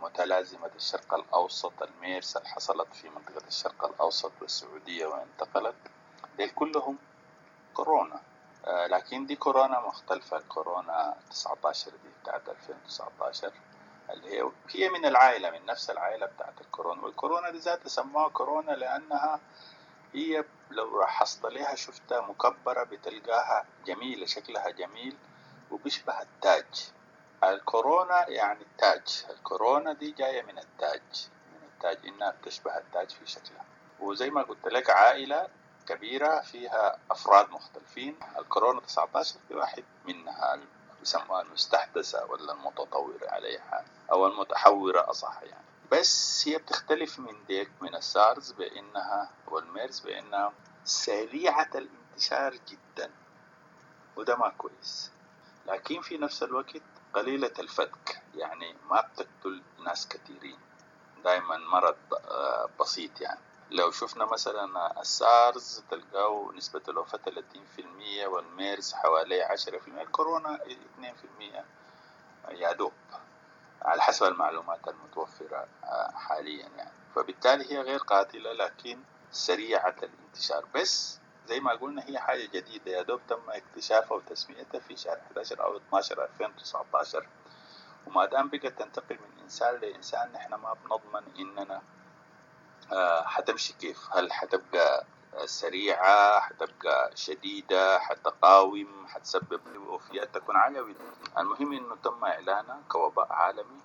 متلازمة الشرق الأوسط الميرس اللي حصلت في منطقة الشرق الأوسط والسعودية وانتقلت. ديل كلهم كورونا، لكن دي كورونا مختلفة. كورونا تسعة عشر دي بتاعت ألفين وتسعة عشر اللي هي هي من العائلة، من نفس العائلة بتاعت الكورونا. والكورونا دي ذاتها سموها كورونا لأنها هي لو لاحظت لها شفتها مكبرة بتلقاها جميلة، شكلها جميل وبيشبه التاج. الكورونا يعني التاج، الكورونا دي جاية من التاج، من التاج إنها بتشبه التاج في شكلها. وزي ما قلت لك عائلة كبيرة فيها أفراد مختلفين. الكورونا تسعة عشر في واحد منها بيسموها المستحدثة ولا المتطورة عليها أو المتحورة أصح يعني. بس هي بتختلف من ديك من السارز بأنها والميرز بأنها سريعة الانتشار جدا، وده ما كويس، لكن في نفس الوقت قليلة الفتك، يعني ما بتقتل ناس كثيرين، دائما مرض بسيط يعني. لو شفنا مثلا السارز تلقاه نسبة الوفاة ثلاثين بالمية والميرز حوالي عشرة بالمية، الكورونا اثنين بالمية يا دوب على حسب المعلومات المتوفرة حاليا يعني. فبالتالي هي غير قاتلة لكن سريعة الانتشار. بس زي ما قلنا هي حاجة جديدة يا دوب تم اكتشافها وتسميتها في شهر أحد عشر أو اثنا عشر ألفين وتسعة عشر، وما دام بقت تنتقل من إنسان لإنسان نحن ما بنضمن إننا حتمشي كيف، هل حتبقى سريعة، حتبقى شديدة، حتقاوم، حتسبب وفيات تكون عالية. المهم إنه تم إعلانها كوباء عالمي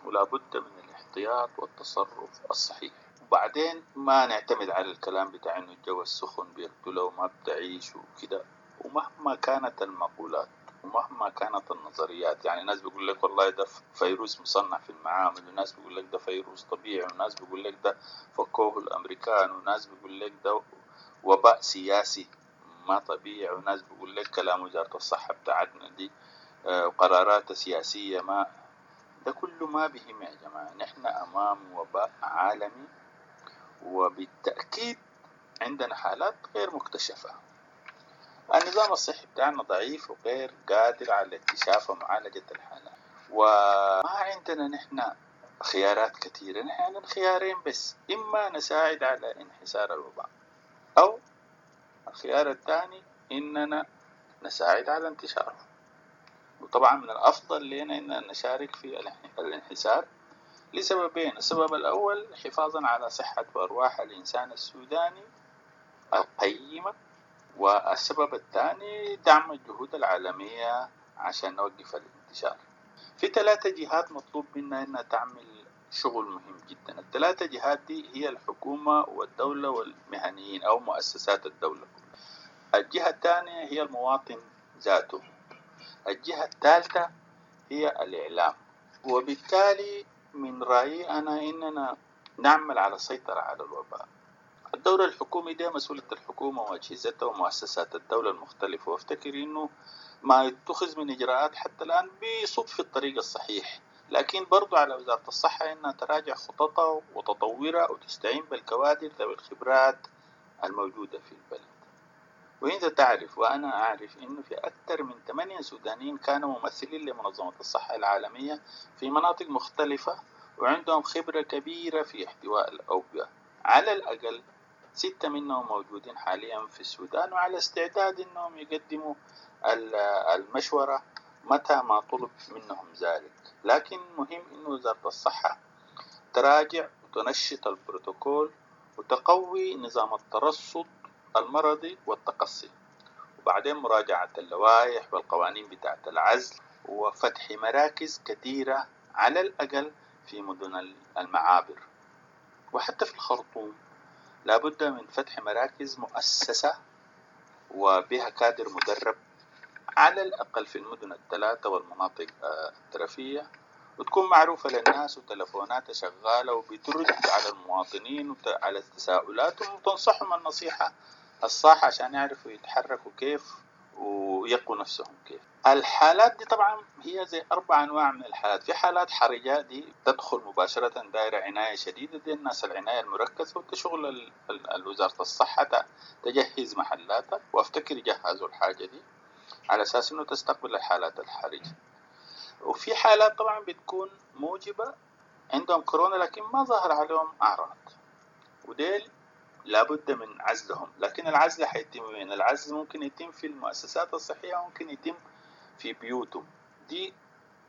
ولا بد من الاحتياط والتصرف الصحيح. وبعدين ما نعتمد على الكلام بتاع إنه الجو السخن بيقتله وما بتعيش وكده. ومهما كانت المقولات ومهما كانت النظريات، يعني ناس بيقول لك والله ده فيروس مصنع في المعامل، وناس بيقول لك ده فيروس طبيعي، وناس بيقول لك ده فكوه الأمريكان، وناس بيقول لك ده وباء سياسي ما طبيعي، وناس بيقول لك كلام وزارة الصحة بتاعتنا دي وقرارات سياسية ما ده كله ما بهم يا جماعة. نحن أمام وباء عالمي، وبالتأكيد عندنا حالات غير مكتشفة. النظام الصحي بتاعنا ضعيف وغير قادر على اكتشاف ومعالجة الحالات، وما عندنا نحن خيارات كثيرة. نحن عندنا خيارين بس، إما نساعد على انحسار الوباء، أو الخيار الثاني إننا نساعد على انتشاره. وطبعا من الأفضل لنا إننا نشارك في الانحسار لسببين. السبب الأول حفاظا على صحة وأرواح الإنسان السوداني القيمة، والسبب الثاني دعم الجهود العالمية عشان نوقف الانتشار. في ثلاثة جهات مطلوب منا إنها تعمل شغل مهم جدا. الثلاثة جهات دي هي الحكومة والدولة والمهنيين أو مؤسسات الدولة. الجهة الثانية هي المواطن ذاته. الجهة الثالثة هي الإعلام. وبالتالي من رأيي أنا إننا نعمل على السيطرة على الوباء. الدور الحكومي ده مسؤولية الحكومة وأجهزتها ومؤسسات الدولة المختلفة، وافتكر إنه ما يتخذ من إجراءات حتى الآن بيصب في الطريق الصحيح، لكن برضو على وزارة الصحة إنها تراجع خططها وتطورها وتستعين بالكوادر ذوي الخبرات الموجودة في البلد. وإنت تعرف وأنا أعرف إنه في أكثر من ثمانية سودانيين كانوا ممثلين لمنظمة الصحة العالمية في مناطق مختلفة، وعندهم خبرة كبيرة في احتواء الأوبئة. على الأقل ستة منهم موجودين حاليا في السودان، وعلى استعداد إنهم يقدموا المشورة متى ما طلب منهم ذلك. لكن مهم إنه وزارة الصحة تراجع وتنشط البروتوكول وتقوي نظام الترصد المرضي والتقصي، وبعدين مراجعة اللوائح والقوانين بتاعة العزل، وفتح مراكز كثيرة على الأقل في مدن المعابر وحتى في الخرطوم. لابد من فتح مراكز مؤسسة وبها كادر مدرب على الأقل في المدن الثلاثة والمناطق الترفية، وتكون معروفة للناس وتلفوناتها شغالة وبترد على المواطنين وعلى تساؤلاتهم وتنصحهم النصيحة الصح عشان يعرفوا يتحركوا كيف ويقوا نفسهم كيف. الحالات دي طبعا هي زي أربع أنواع من الحالات. في حالات حرجة دي تدخل مباشرة دائرة عناية شديدة، دي الناس العناية المركزة، وتشغل وزارة الصحة تجهز محلاتها، وأفتكر يجهزوا الحاجة دي على أساس إنه تستقبل الحالات الحرجة. وفي حالات طبعا بتكون موجبة عندهم كورونا لكن ما ظهر عليهم أعراض، وديل لابد من عزلهم. لكن العزل حيتم وين؟ العزل ممكن يتم في المؤسسات الصحية، ممكن يتم في بيوتهم، دي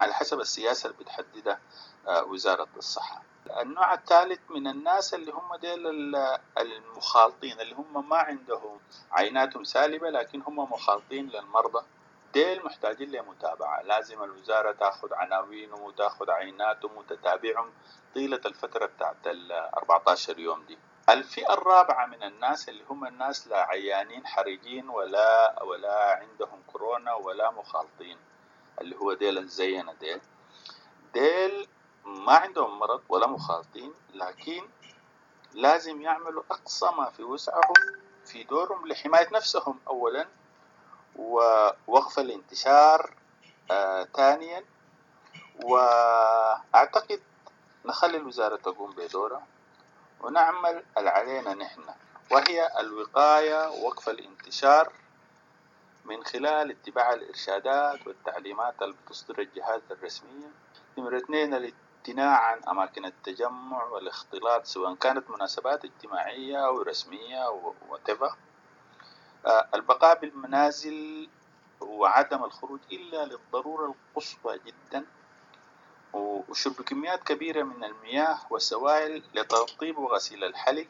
على حسب السياسة اللي بتحددها وزارة الصحة. النوع الثالث من الناس اللي هم ديل المخالطين، اللي هم ما عندهم عيناتهم سالبة لكن هم مخالطين للمرضى، ديل محتاجين لمتابعة. لازم الوزارة تأخذ عناوينهم وتأخذ عيناتهم وتتابعهم طيلة الفترة بتاعت ال أربعة عشر يوم دي. الفئة الرابعة من الناس اللي هم الناس لا عيانين حرجين ولا ولا عندهم كورونا ولا مخالطين، اللي هو ديل زينا، ديل ديل ما عندهم مرض ولا مخالطين، لكن لازم يعملوا أقصى ما في وسعهم في دورهم لحماية نفسهم أولا، ووقف الانتشار آه ثانيا. وأعتقد نخلي الوزارة تقوم بدورها ونعمل اللي علينا نحن، وهي الوقاية ووقف الانتشار من خلال اتباع الإرشادات والتعليمات اللي بتصدر الجهات الرسمية. نمرة اثنين، الامتناع عن أماكن التجمع والاختلاط سواء كانت مناسبات اجتماعية أو رسمية أو whatever. البقاء بالمنازل وعدم الخروج إلا للضرورة القصوى جدا، وشرب كميات كبيرة من المياه والسوائل لترطيب وغسيل الحلق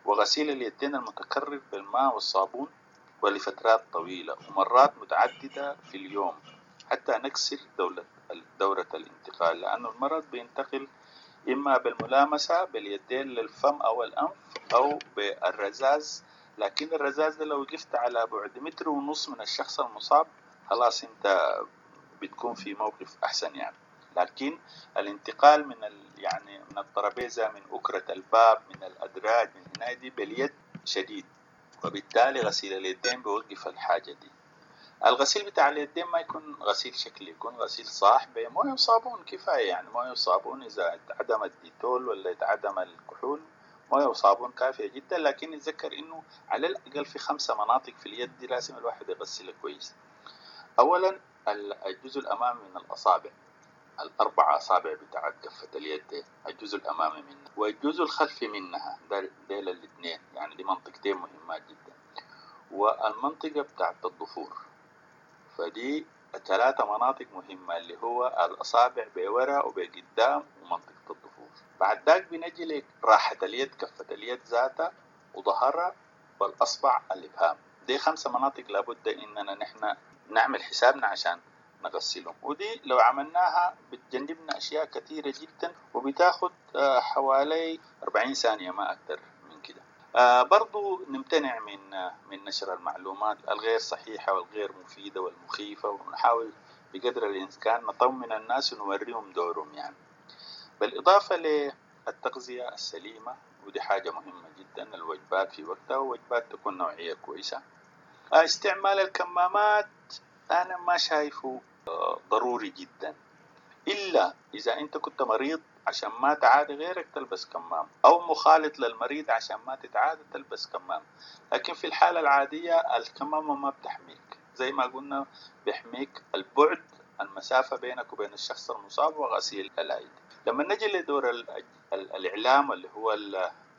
وغسيل اليدين المتكرر بالماء والصابون ولفترات طويلة ومرات متعددة في اليوم حتى نكسر دولة دورة الانتقال، لأن المرض بينتقل إما بالملامسة باليدين للفم أو الأنف أو بالرذاذ، لكن الرذاذ ده لو وقفت على بعد متر ونص من الشخص المصاب خلاص أنت بتكون في موقف أحسن يعني. لكن الانتقال من ال يعني من الترابيزة، من أكرة الباب، من الأدراج، من هنا دي باليد شديد، وبالتالي غسيل اليدين بيوقف الحاجة دي. الغسيل بتاع اليدين ما يكون غسيل شكلي، يكون غسيل صح بمويه وصابون كفاية يعني. مويه وصابون إذا اتعدم الديتول ولا اتعدم الكحول، مويه وصابون كافية جدا. لكن نتذكر إنه على الأقل في خمسة مناطق في اليد دي لازم الواحد يغسلها كويس. أولا الجزء الأمامي من الأصابع، الأربع أصابع بتاعت كفة اليد دي، الجزء الأمامي منها والجزء الخلفي منها، ديل الاثنين يعني، دي منطقتين مهمات جدا، والمنطقة بتاعت الضفور. فدي ثلاثة مناطق مهمة اللي هو الأصابع بورا وبقدام ومنطقة الضفور. بعد ذاك بنجي لك راحة اليد، كفة اليد ذاتها وظهرها والأصبع الإبهام. دي خمسة مناطق لابد إننا نحن نعمل حسابنا عشان نغسلهم، ودي لو عملناها بتجنبنا أشياء كثيرة جدا، وبتاخد حوالي أربعين ثانية ما أكثر من كده. برضو نمتنع من من نشر المعلومات الغير صحيحة والغير مفيدة والمخيفة، ونحاول بقدر الإمكان نطمن الناس ونوريهم دورهم يعني. بالإضافة للتغذية السليمة، ودي حاجة مهمة جدا، الوجبات في وقتها ووجبات تكون نوعية كويسة. استعمال الكمامات أنا ما شايفه ضروري جدا، إلا إذا أنت كنت مريض عشان ما تعادي غيرك تلبس كمام، أو مخالط للمريض عشان ما تتعادى تلبس كمام. لكن في الحالة العادية الكمامة ما بتحميك، زي ما قلنا بيحميك البعد، المسافة بينك وبين الشخص المصاب، وغسيل الأيدي. لما نجي لدور الإعلام اللي هو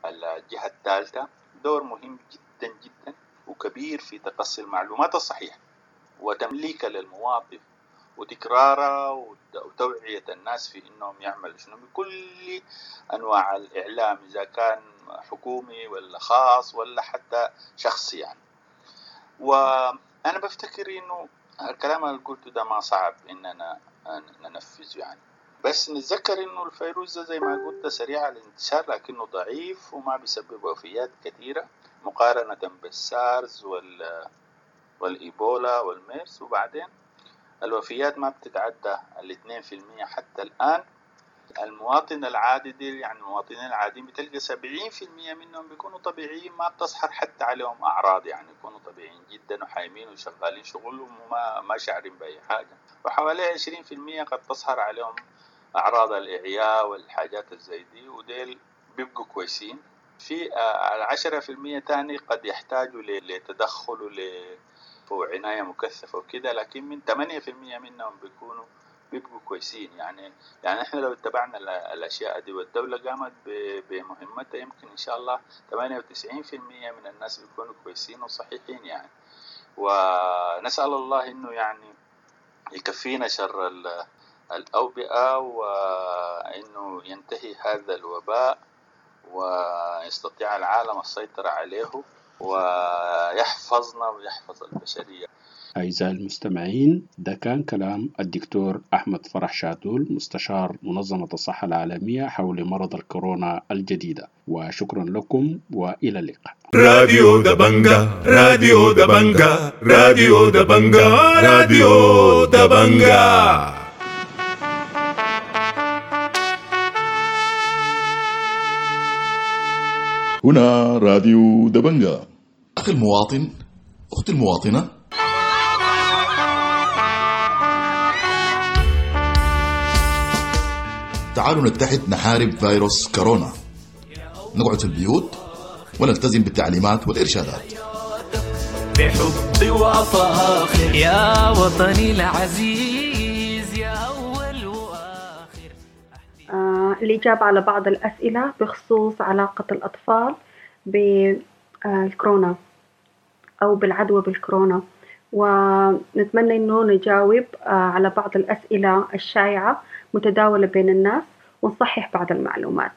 الجهة الثالثة، دور مهم جدا جدا وكبير في تقصي المعلومات الصحيحة وتمليكها للمواطن وتكرارها وتوعية الناس في إنهم يعملوا شنو بكل أنواع الإعلام، إذا كان حكومي ولا خاص ولا حتى شخصي يعني. وأنا بفتكر إنه الكلام اللي قلته ده ما صعب إننا ننفذه يعني، بس نتذكر إنه الفيروس ده زي ما قلت سريع الانتشار، لكنه ضعيف وما بيسبب وفيات كثيرة مقارنة بالسارز وال والإيبولا والميرس. وبعدين الوفيات ما بتتعدى الاثنين في المية حتى الآن. المواطن العادي دي يعني المواطنين العاديين بتلقى سبعين في المية منهم بيكونوا طبيعيين، ما بتظهر حتى عليهم أعراض يعني، يكونوا طبيعيين جدا وحايمين وشغالين شغلهم وما ما شعرين بأي حاجة. وحوالي عشرين في المية قد تظهر عليهم أعراض الإعياء والحاجات الزي دي، وديل بيبقوا كويسين. في العشرة في المية تاني قد يحتاجوا لتدخل ول وعناية مكثفة وكده، لكن من ثمانية في المية منهم بيكونوا بيبقوا كويسين يعني. يعني احنا لو اتبعنا الأشياء دي والدولة قامت بمهمتها، يمكن إن شاء الله ثمانية وتسعين في المية من الناس بيكونوا كويسين وصحيحين يعني. ونسأل الله إنه يعني يكفينا شر الأوبئة، وإنه ينتهي هذا الوباء ويستطيع العالم السيطرة عليه ويحفظنا ويحفظ البشرية. أعزائي المستمعين، ده كان كلام الدكتور أحمد فرح شادول مستشار منظمة الصحة العالمية حول مرض الكورونا الجديدة، وشكرا لكم وإلى اللقاء. راديو دبنجا، راديو دبنجا، راديو دبنجا، راديو دبنجا. هنا راديو دبنجا. أخي المواطن، أختي المواطنة، تعالوا نتحد نحارب فيروس كورونا، نقعد في البيوت ونلتزم بالتعليمات والإرشادات. بحب وفاخر يا وطني العزيز يا أول وآخر. آه، الإجابة على بعض الأسئلة بخصوص علاقة الأطفال بالكورونا أو بالعدوى بالكورونا، ونتمنى إنه نجاوب على بعض الأسئلة الشائعة متداولة بين الناس ونصحح بعض المعلومات.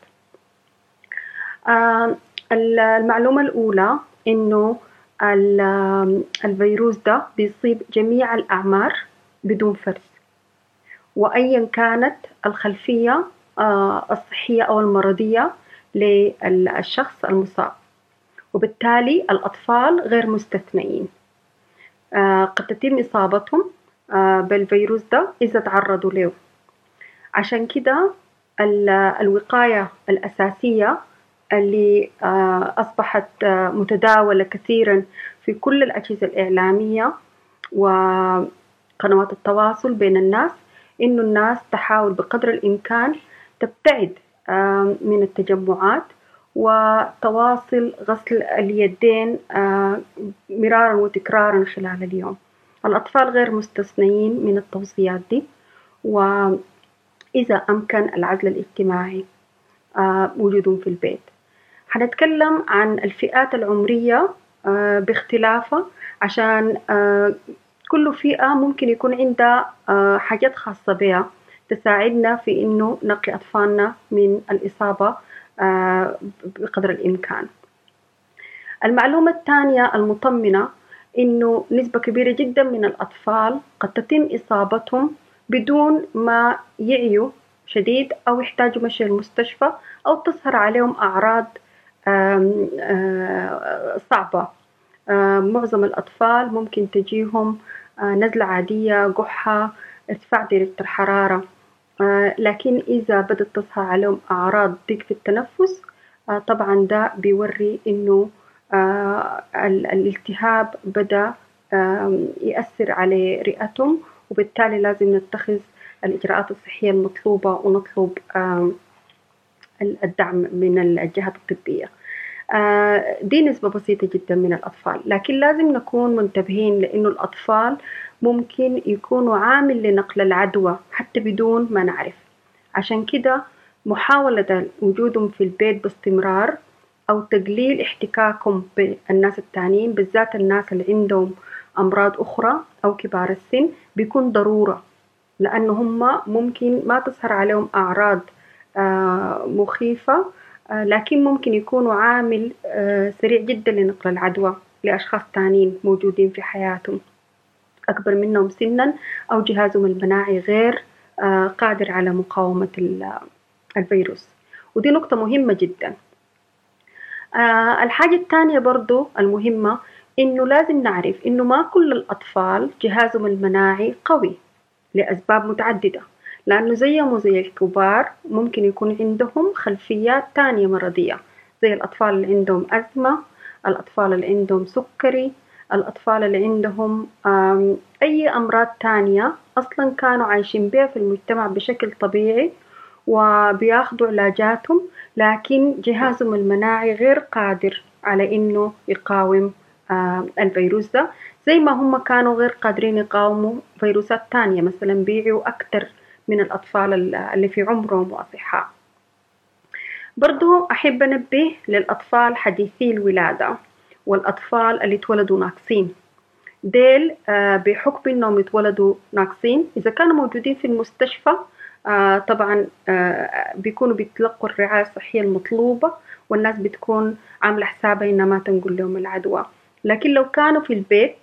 المعلومة الأولى إنه الفيروس ده بيصيب جميع الأعمار بدون فرز، وأيا كانت الخلفية الصحية أو المرضية للشخص المصاب، وبالتالي الأطفال غير مستثنئين. قد تتم إصابتهم بالفيروس ده إذا تعرضوا له. عشان كده الوقاية الأساسية اللي أصبحت متداولة كثيراً في كل الأجهزة الإعلامية وقنوات التواصل بين الناس، إنه الناس تحاول بقدر الإمكان تبتعد من التجمعات وتواصل غسل اليدين مرارا وتكرارا خلال اليوم. الأطفال غير مستثنيين من التوصيات دي، وإذا أمكن العزل الاجتماعي وجودهم في البيت. حنتكلم عن الفئات العمرية باختلافها، عشان كل فئة ممكن يكون عندها حاجات خاصة بها تساعدنا في إنه نقي أطفالنا من الإصابة بقدر الإمكان. المعلومة الثانية المطمئنة إنه نسبة كبيرة جدا من الأطفال قد تتم إصابتهم بدون ما يعيوا شديد أو يحتاجوا مشي المستشفى أو تظهر عليهم أعراض آم آم صعبة. آم معظم الأطفال ممكن تجيهم نزلة عادية، قحة، ارتفاع درجة الحرارة، لكن إذا بدأت تظهر عليهم أعراض ضيق في التنفس طبعا ده بيوري إنه الالتهاب بدأ يأثر على رئتهم، وبالتالي لازم نتخذ الإجراءات الصحية المطلوبة ونطلب الدعم من الجهات الطبية. دي نسبة بسيطة جدا من الأطفال، لكن لازم نكون منتبهين لأنه الأطفال ممكن يكونوا عامل لنقل العدوى حتى بدون ما نعرف. عشان كده محاولة وجودهم في البيت باستمرار أو تقليل احتكاكهم بالناس التانيين، بالذات الناس اللي عندهم أمراض أخرى أو كبار السن، بيكون ضرورة، لأنه هم ممكن ما تظهر عليهم أعراض مخيفة، لكن ممكن يكونوا عامل سريع جدا لنقل العدوى لأشخاص تانيين موجودين في حياتهم أكبر منهم سنا أو جهازهم المناعي غير قادر على مقاومة الفيروس، ودي نقطة مهمة جدا. الحاجة الثانية برضو المهمة إنه لازم نعرف إنه ما كل الأطفال جهازهم المناعي قوي لأسباب متعددة، لأنه زيهم وزي الكبار ممكن يكون عندهم خلفيات تانية مرضية، زي الأطفال اللي عندهم أزمة، الأطفال اللي عندهم سكري، الأطفال اللي عندهم أي أمراض تانية أصلاً كانوا عايشين بها في المجتمع بشكل طبيعي وبياخدوا علاجاتهم، لكن جهازهم المناعي غير قادر على إنه يقاوم الفيروس ده، زي ما هم كانوا غير قادرين يقاوموا فيروسات تانية، مثلاً بيعوا أكتر من الأطفال اللي في عمرهم وأصحاء. برضو أحب أنبه للأطفال حديثي الولادة والأطفال اللي اتولدوا ناقصين، ديل بحكم إنهم اتولدوا ناقصين إذا كانوا موجودين في المستشفى طبعا بيكونوا بيتلقوا الرعاية الصحية المطلوبة والناس بتكون عاملة حسابها إنها ما تنقل لهم العدوى، لكن لو كانوا في البيت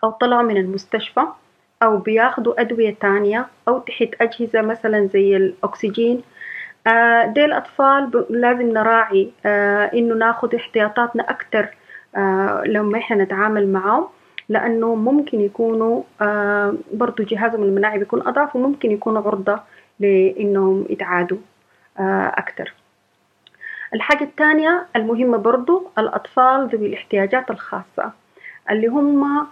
أو طلعوا من المستشفى أو بياخدوا أدوية تانية أو تحت أجهزة مثلا زي الأكسجين، ديل الأطفال لازم نراعي إنه ناخد احتياطاتنا أكتر لما إحنا نتعامل معهم، لأنه ممكن يكونوا برضو جهازهم المناعي بيكون أضعف وممكن يكونوا عرضة لإنهم يتعادوا أكتر. الحاجة الثانية المهمة برضو الأطفال ذوي الاحتياجات الخاصة، اللي هم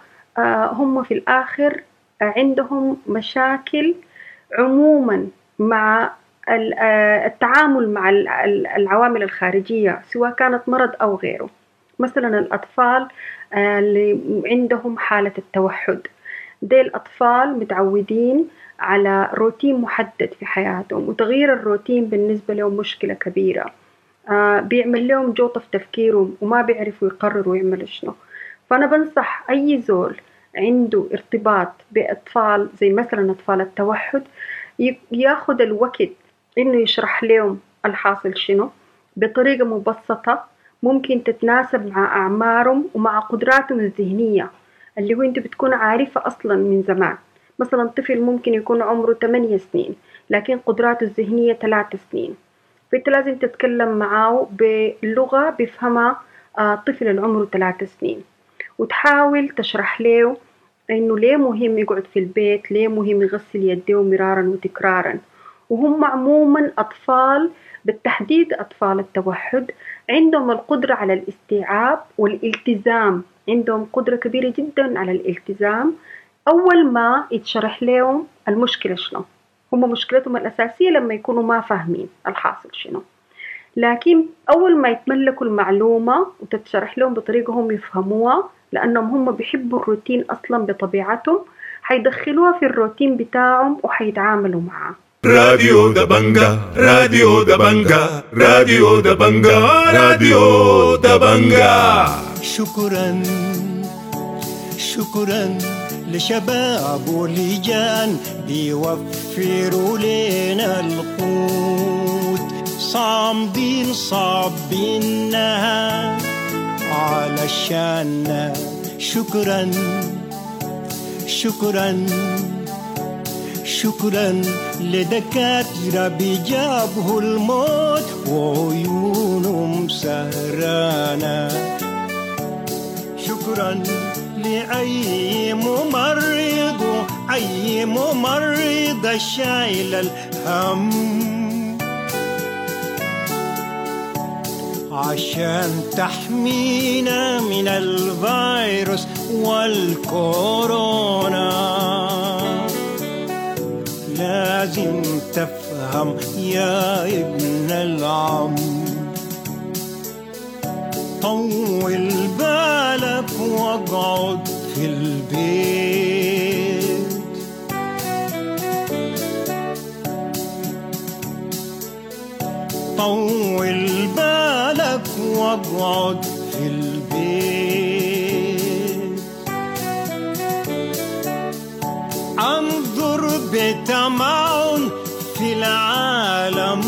هم في الآخر عندهم مشاكل عموما مع التعامل مع العوامل الخارجية سواء كانت مرض أو غيره. مثلا الأطفال اللي عندهم حالة التوحد، دي الأطفال متعودين على روتين محدد في حياتهم، وتغيير الروتين بالنسبة لهم مشكلة كبيرة، بيعمل لهم جوطة في تفكيرهم وما بيعرفوا يقرروا يعملوا شنو. فأنا بنصح أي زول عنده ارتباط بأطفال زي مثلا أطفال التوحد ياخد الوقت إنه يشرح لهم الحاصل شنو بطريقة مبسطة ممكن تتناسب مع أعمارهم ومع قدراتهم الذهنية اللي هو أنت بتكون عارفة أصلا من زمان، مثلا طفل ممكن يكون عمره ثمانية سنين لكن قدراته الذهنية ثلاث سنين، فأنت لازم تتكلم معاه بلغة بيفهمها طفل اللي عمره ثلاث سنين، وتحاول تشرح له إنه ليه مهم يقعد في البيت، ليه مهم يغسل يديه مرارا وتكرارا. وهم عموما أطفال، بالتحديد أطفال التوحد، عندهم القدرة على الاستيعاب والالتزام، عندهم قدرة كبيرة جدا على الالتزام أول ما يتشرح لهم المشكلة شنو. هم مشكلتهم الأساسية لما يكونوا ما فاهمين الحاصل شنو، لكن أول ما يتملكوا المعلومة وتتشرح لهم بطريقة هم يفهموها، لأنهم هم بيحبوا الروتين أصلا بطبيعتهم، حيدخلوها في الروتين بتاعهم وحيتعاملوا معاه. راديو دبنجا، راديو دبنجا، راديو دبنجا، راديو دبنجا. شكرا شكرا لشباب ولجان بيوفروا لنا القوت، صامدين صابينها علشان. شكرا شكرا شكرا لدكاترة بيجابه الموت وعيونهم سهرانة. شكرا لأي ممرض، أي ممرض شايل الهم عشان تحمينا من الفيروس والكورونا. لازم تفهم يا ابن العم، طول بالك واقعد في البيت. طول بالك واقعد في البيت. انظر بتمعن في العالم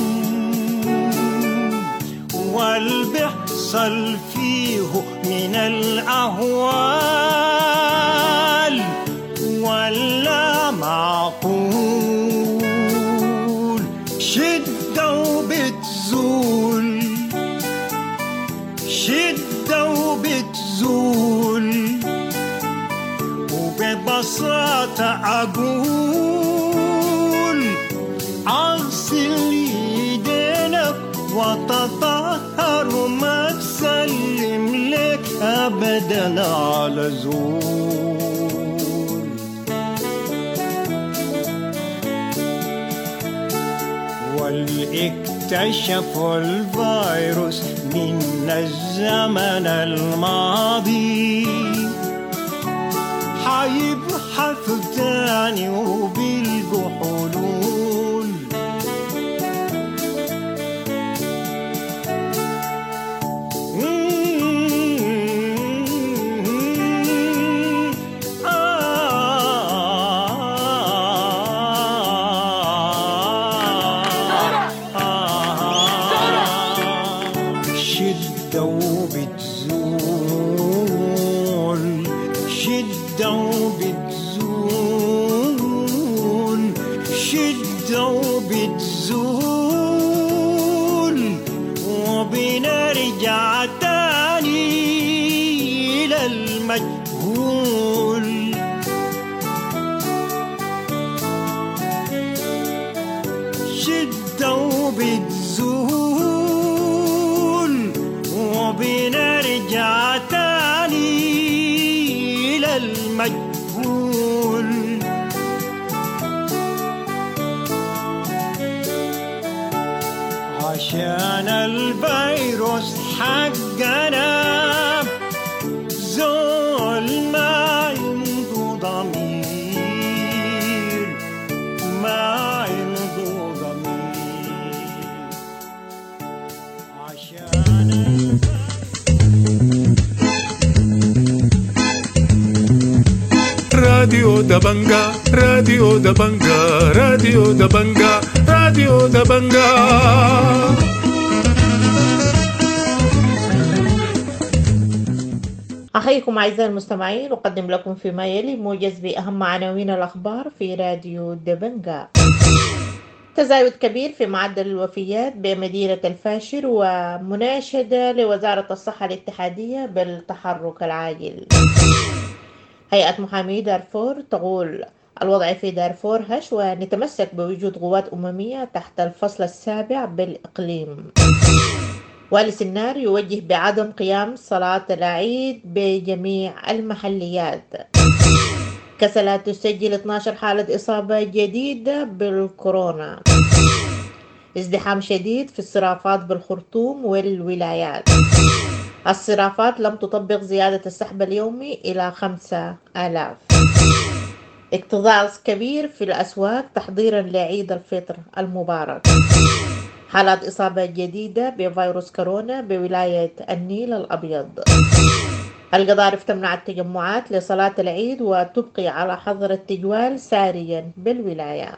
والبحصل فيه من الأهوال ولا معقول. شدة وبتزول، شدة وبتزول، وببساطة أقول أغسل يدينك وتطهر وما تسلم لك أبدا على زول. والاكتشفوا الفيروس من الزمن الماضي حيبحثوا تاني وبيلقوا حلول. شدة وبتزول، شدة وبتزول، شدة وبتزول، وبنرجع تاني للمجهول. شدة وبتزول، وبنرجع تاني للمجهول. عشان الفيروس حقنا زول ما عنده ضمير، ما عنده ضمير. عشان راديو دبنجا، راديو دبنجا، راديو دبنجا، راديو دبنجا. أحييكم أعزائي المستمعين، أقدم لكم فيما يلي موجز بأهم عناوين الأخبار في راديو دبنجا. تزايد كبير في معدل الوفيات بمدينة الفاشر ومناشدة لوزارة الصحة الاتحادية بالتحرك العاجل. هيئة محامي دارفور تقول الوضع في دارفور هش ونتمسك بوجود قوات أممية تحت الفصل السابع بالإقليم. والي سنار يوجه بعدم قيام صلاة العيد بجميع المحليات. كسلا تسجل اثنا عشر حالة إصابة جديدة بالكورونا. ازدحام شديد في الصرافات بالخرطوم والولايات. الصرافات لم تطبق زيادة السحب اليومي إلى خمسة آلاف. اكتظاظ كبير في الأسواق تحضيرا لعيد الفطر المبارك. حالات إصابة جديدة بفيروس كورونا بولاية النيل الأبيض. القضارف تمنع التجمعات لصلاة العيد وتبقي على حظر التجوال ساريا بالولاية.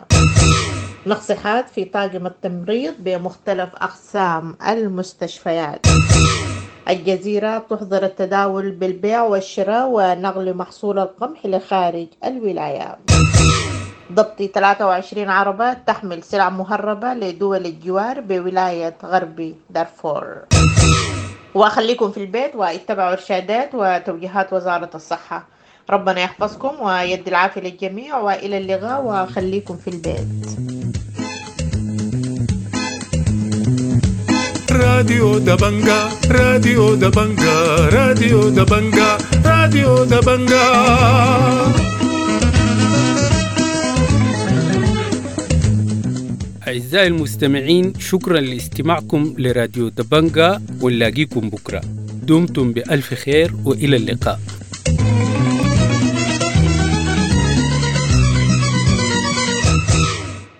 نقص حاد في طاقم التمريض بمختلف أقسام المستشفيات. الجزيرة تحظر التداول بالبيع والشراء ونقل محصول القمح لخارج الولاية. ضبط ثلاثة وعشرين عربة تحمل سلع مهربة لدول الجوار بولاية غرب دارفور. وأخليكم في البيت واتبعوا إرشادات وتوجيهات وزارة الصحة. ربنا يحفظكم ويدي العافية للجميع، وإلى اللقاء وخليكم في البيت. راديو دبنجا، راديو دبنجا، راديو دبنجا، راديو دبنجا. أعزائي المستمعين، شكرا لاستماعكم لراديو دبنجا، ونلاقيكم بكرة. دمتم بألف خير وإلى اللقاء.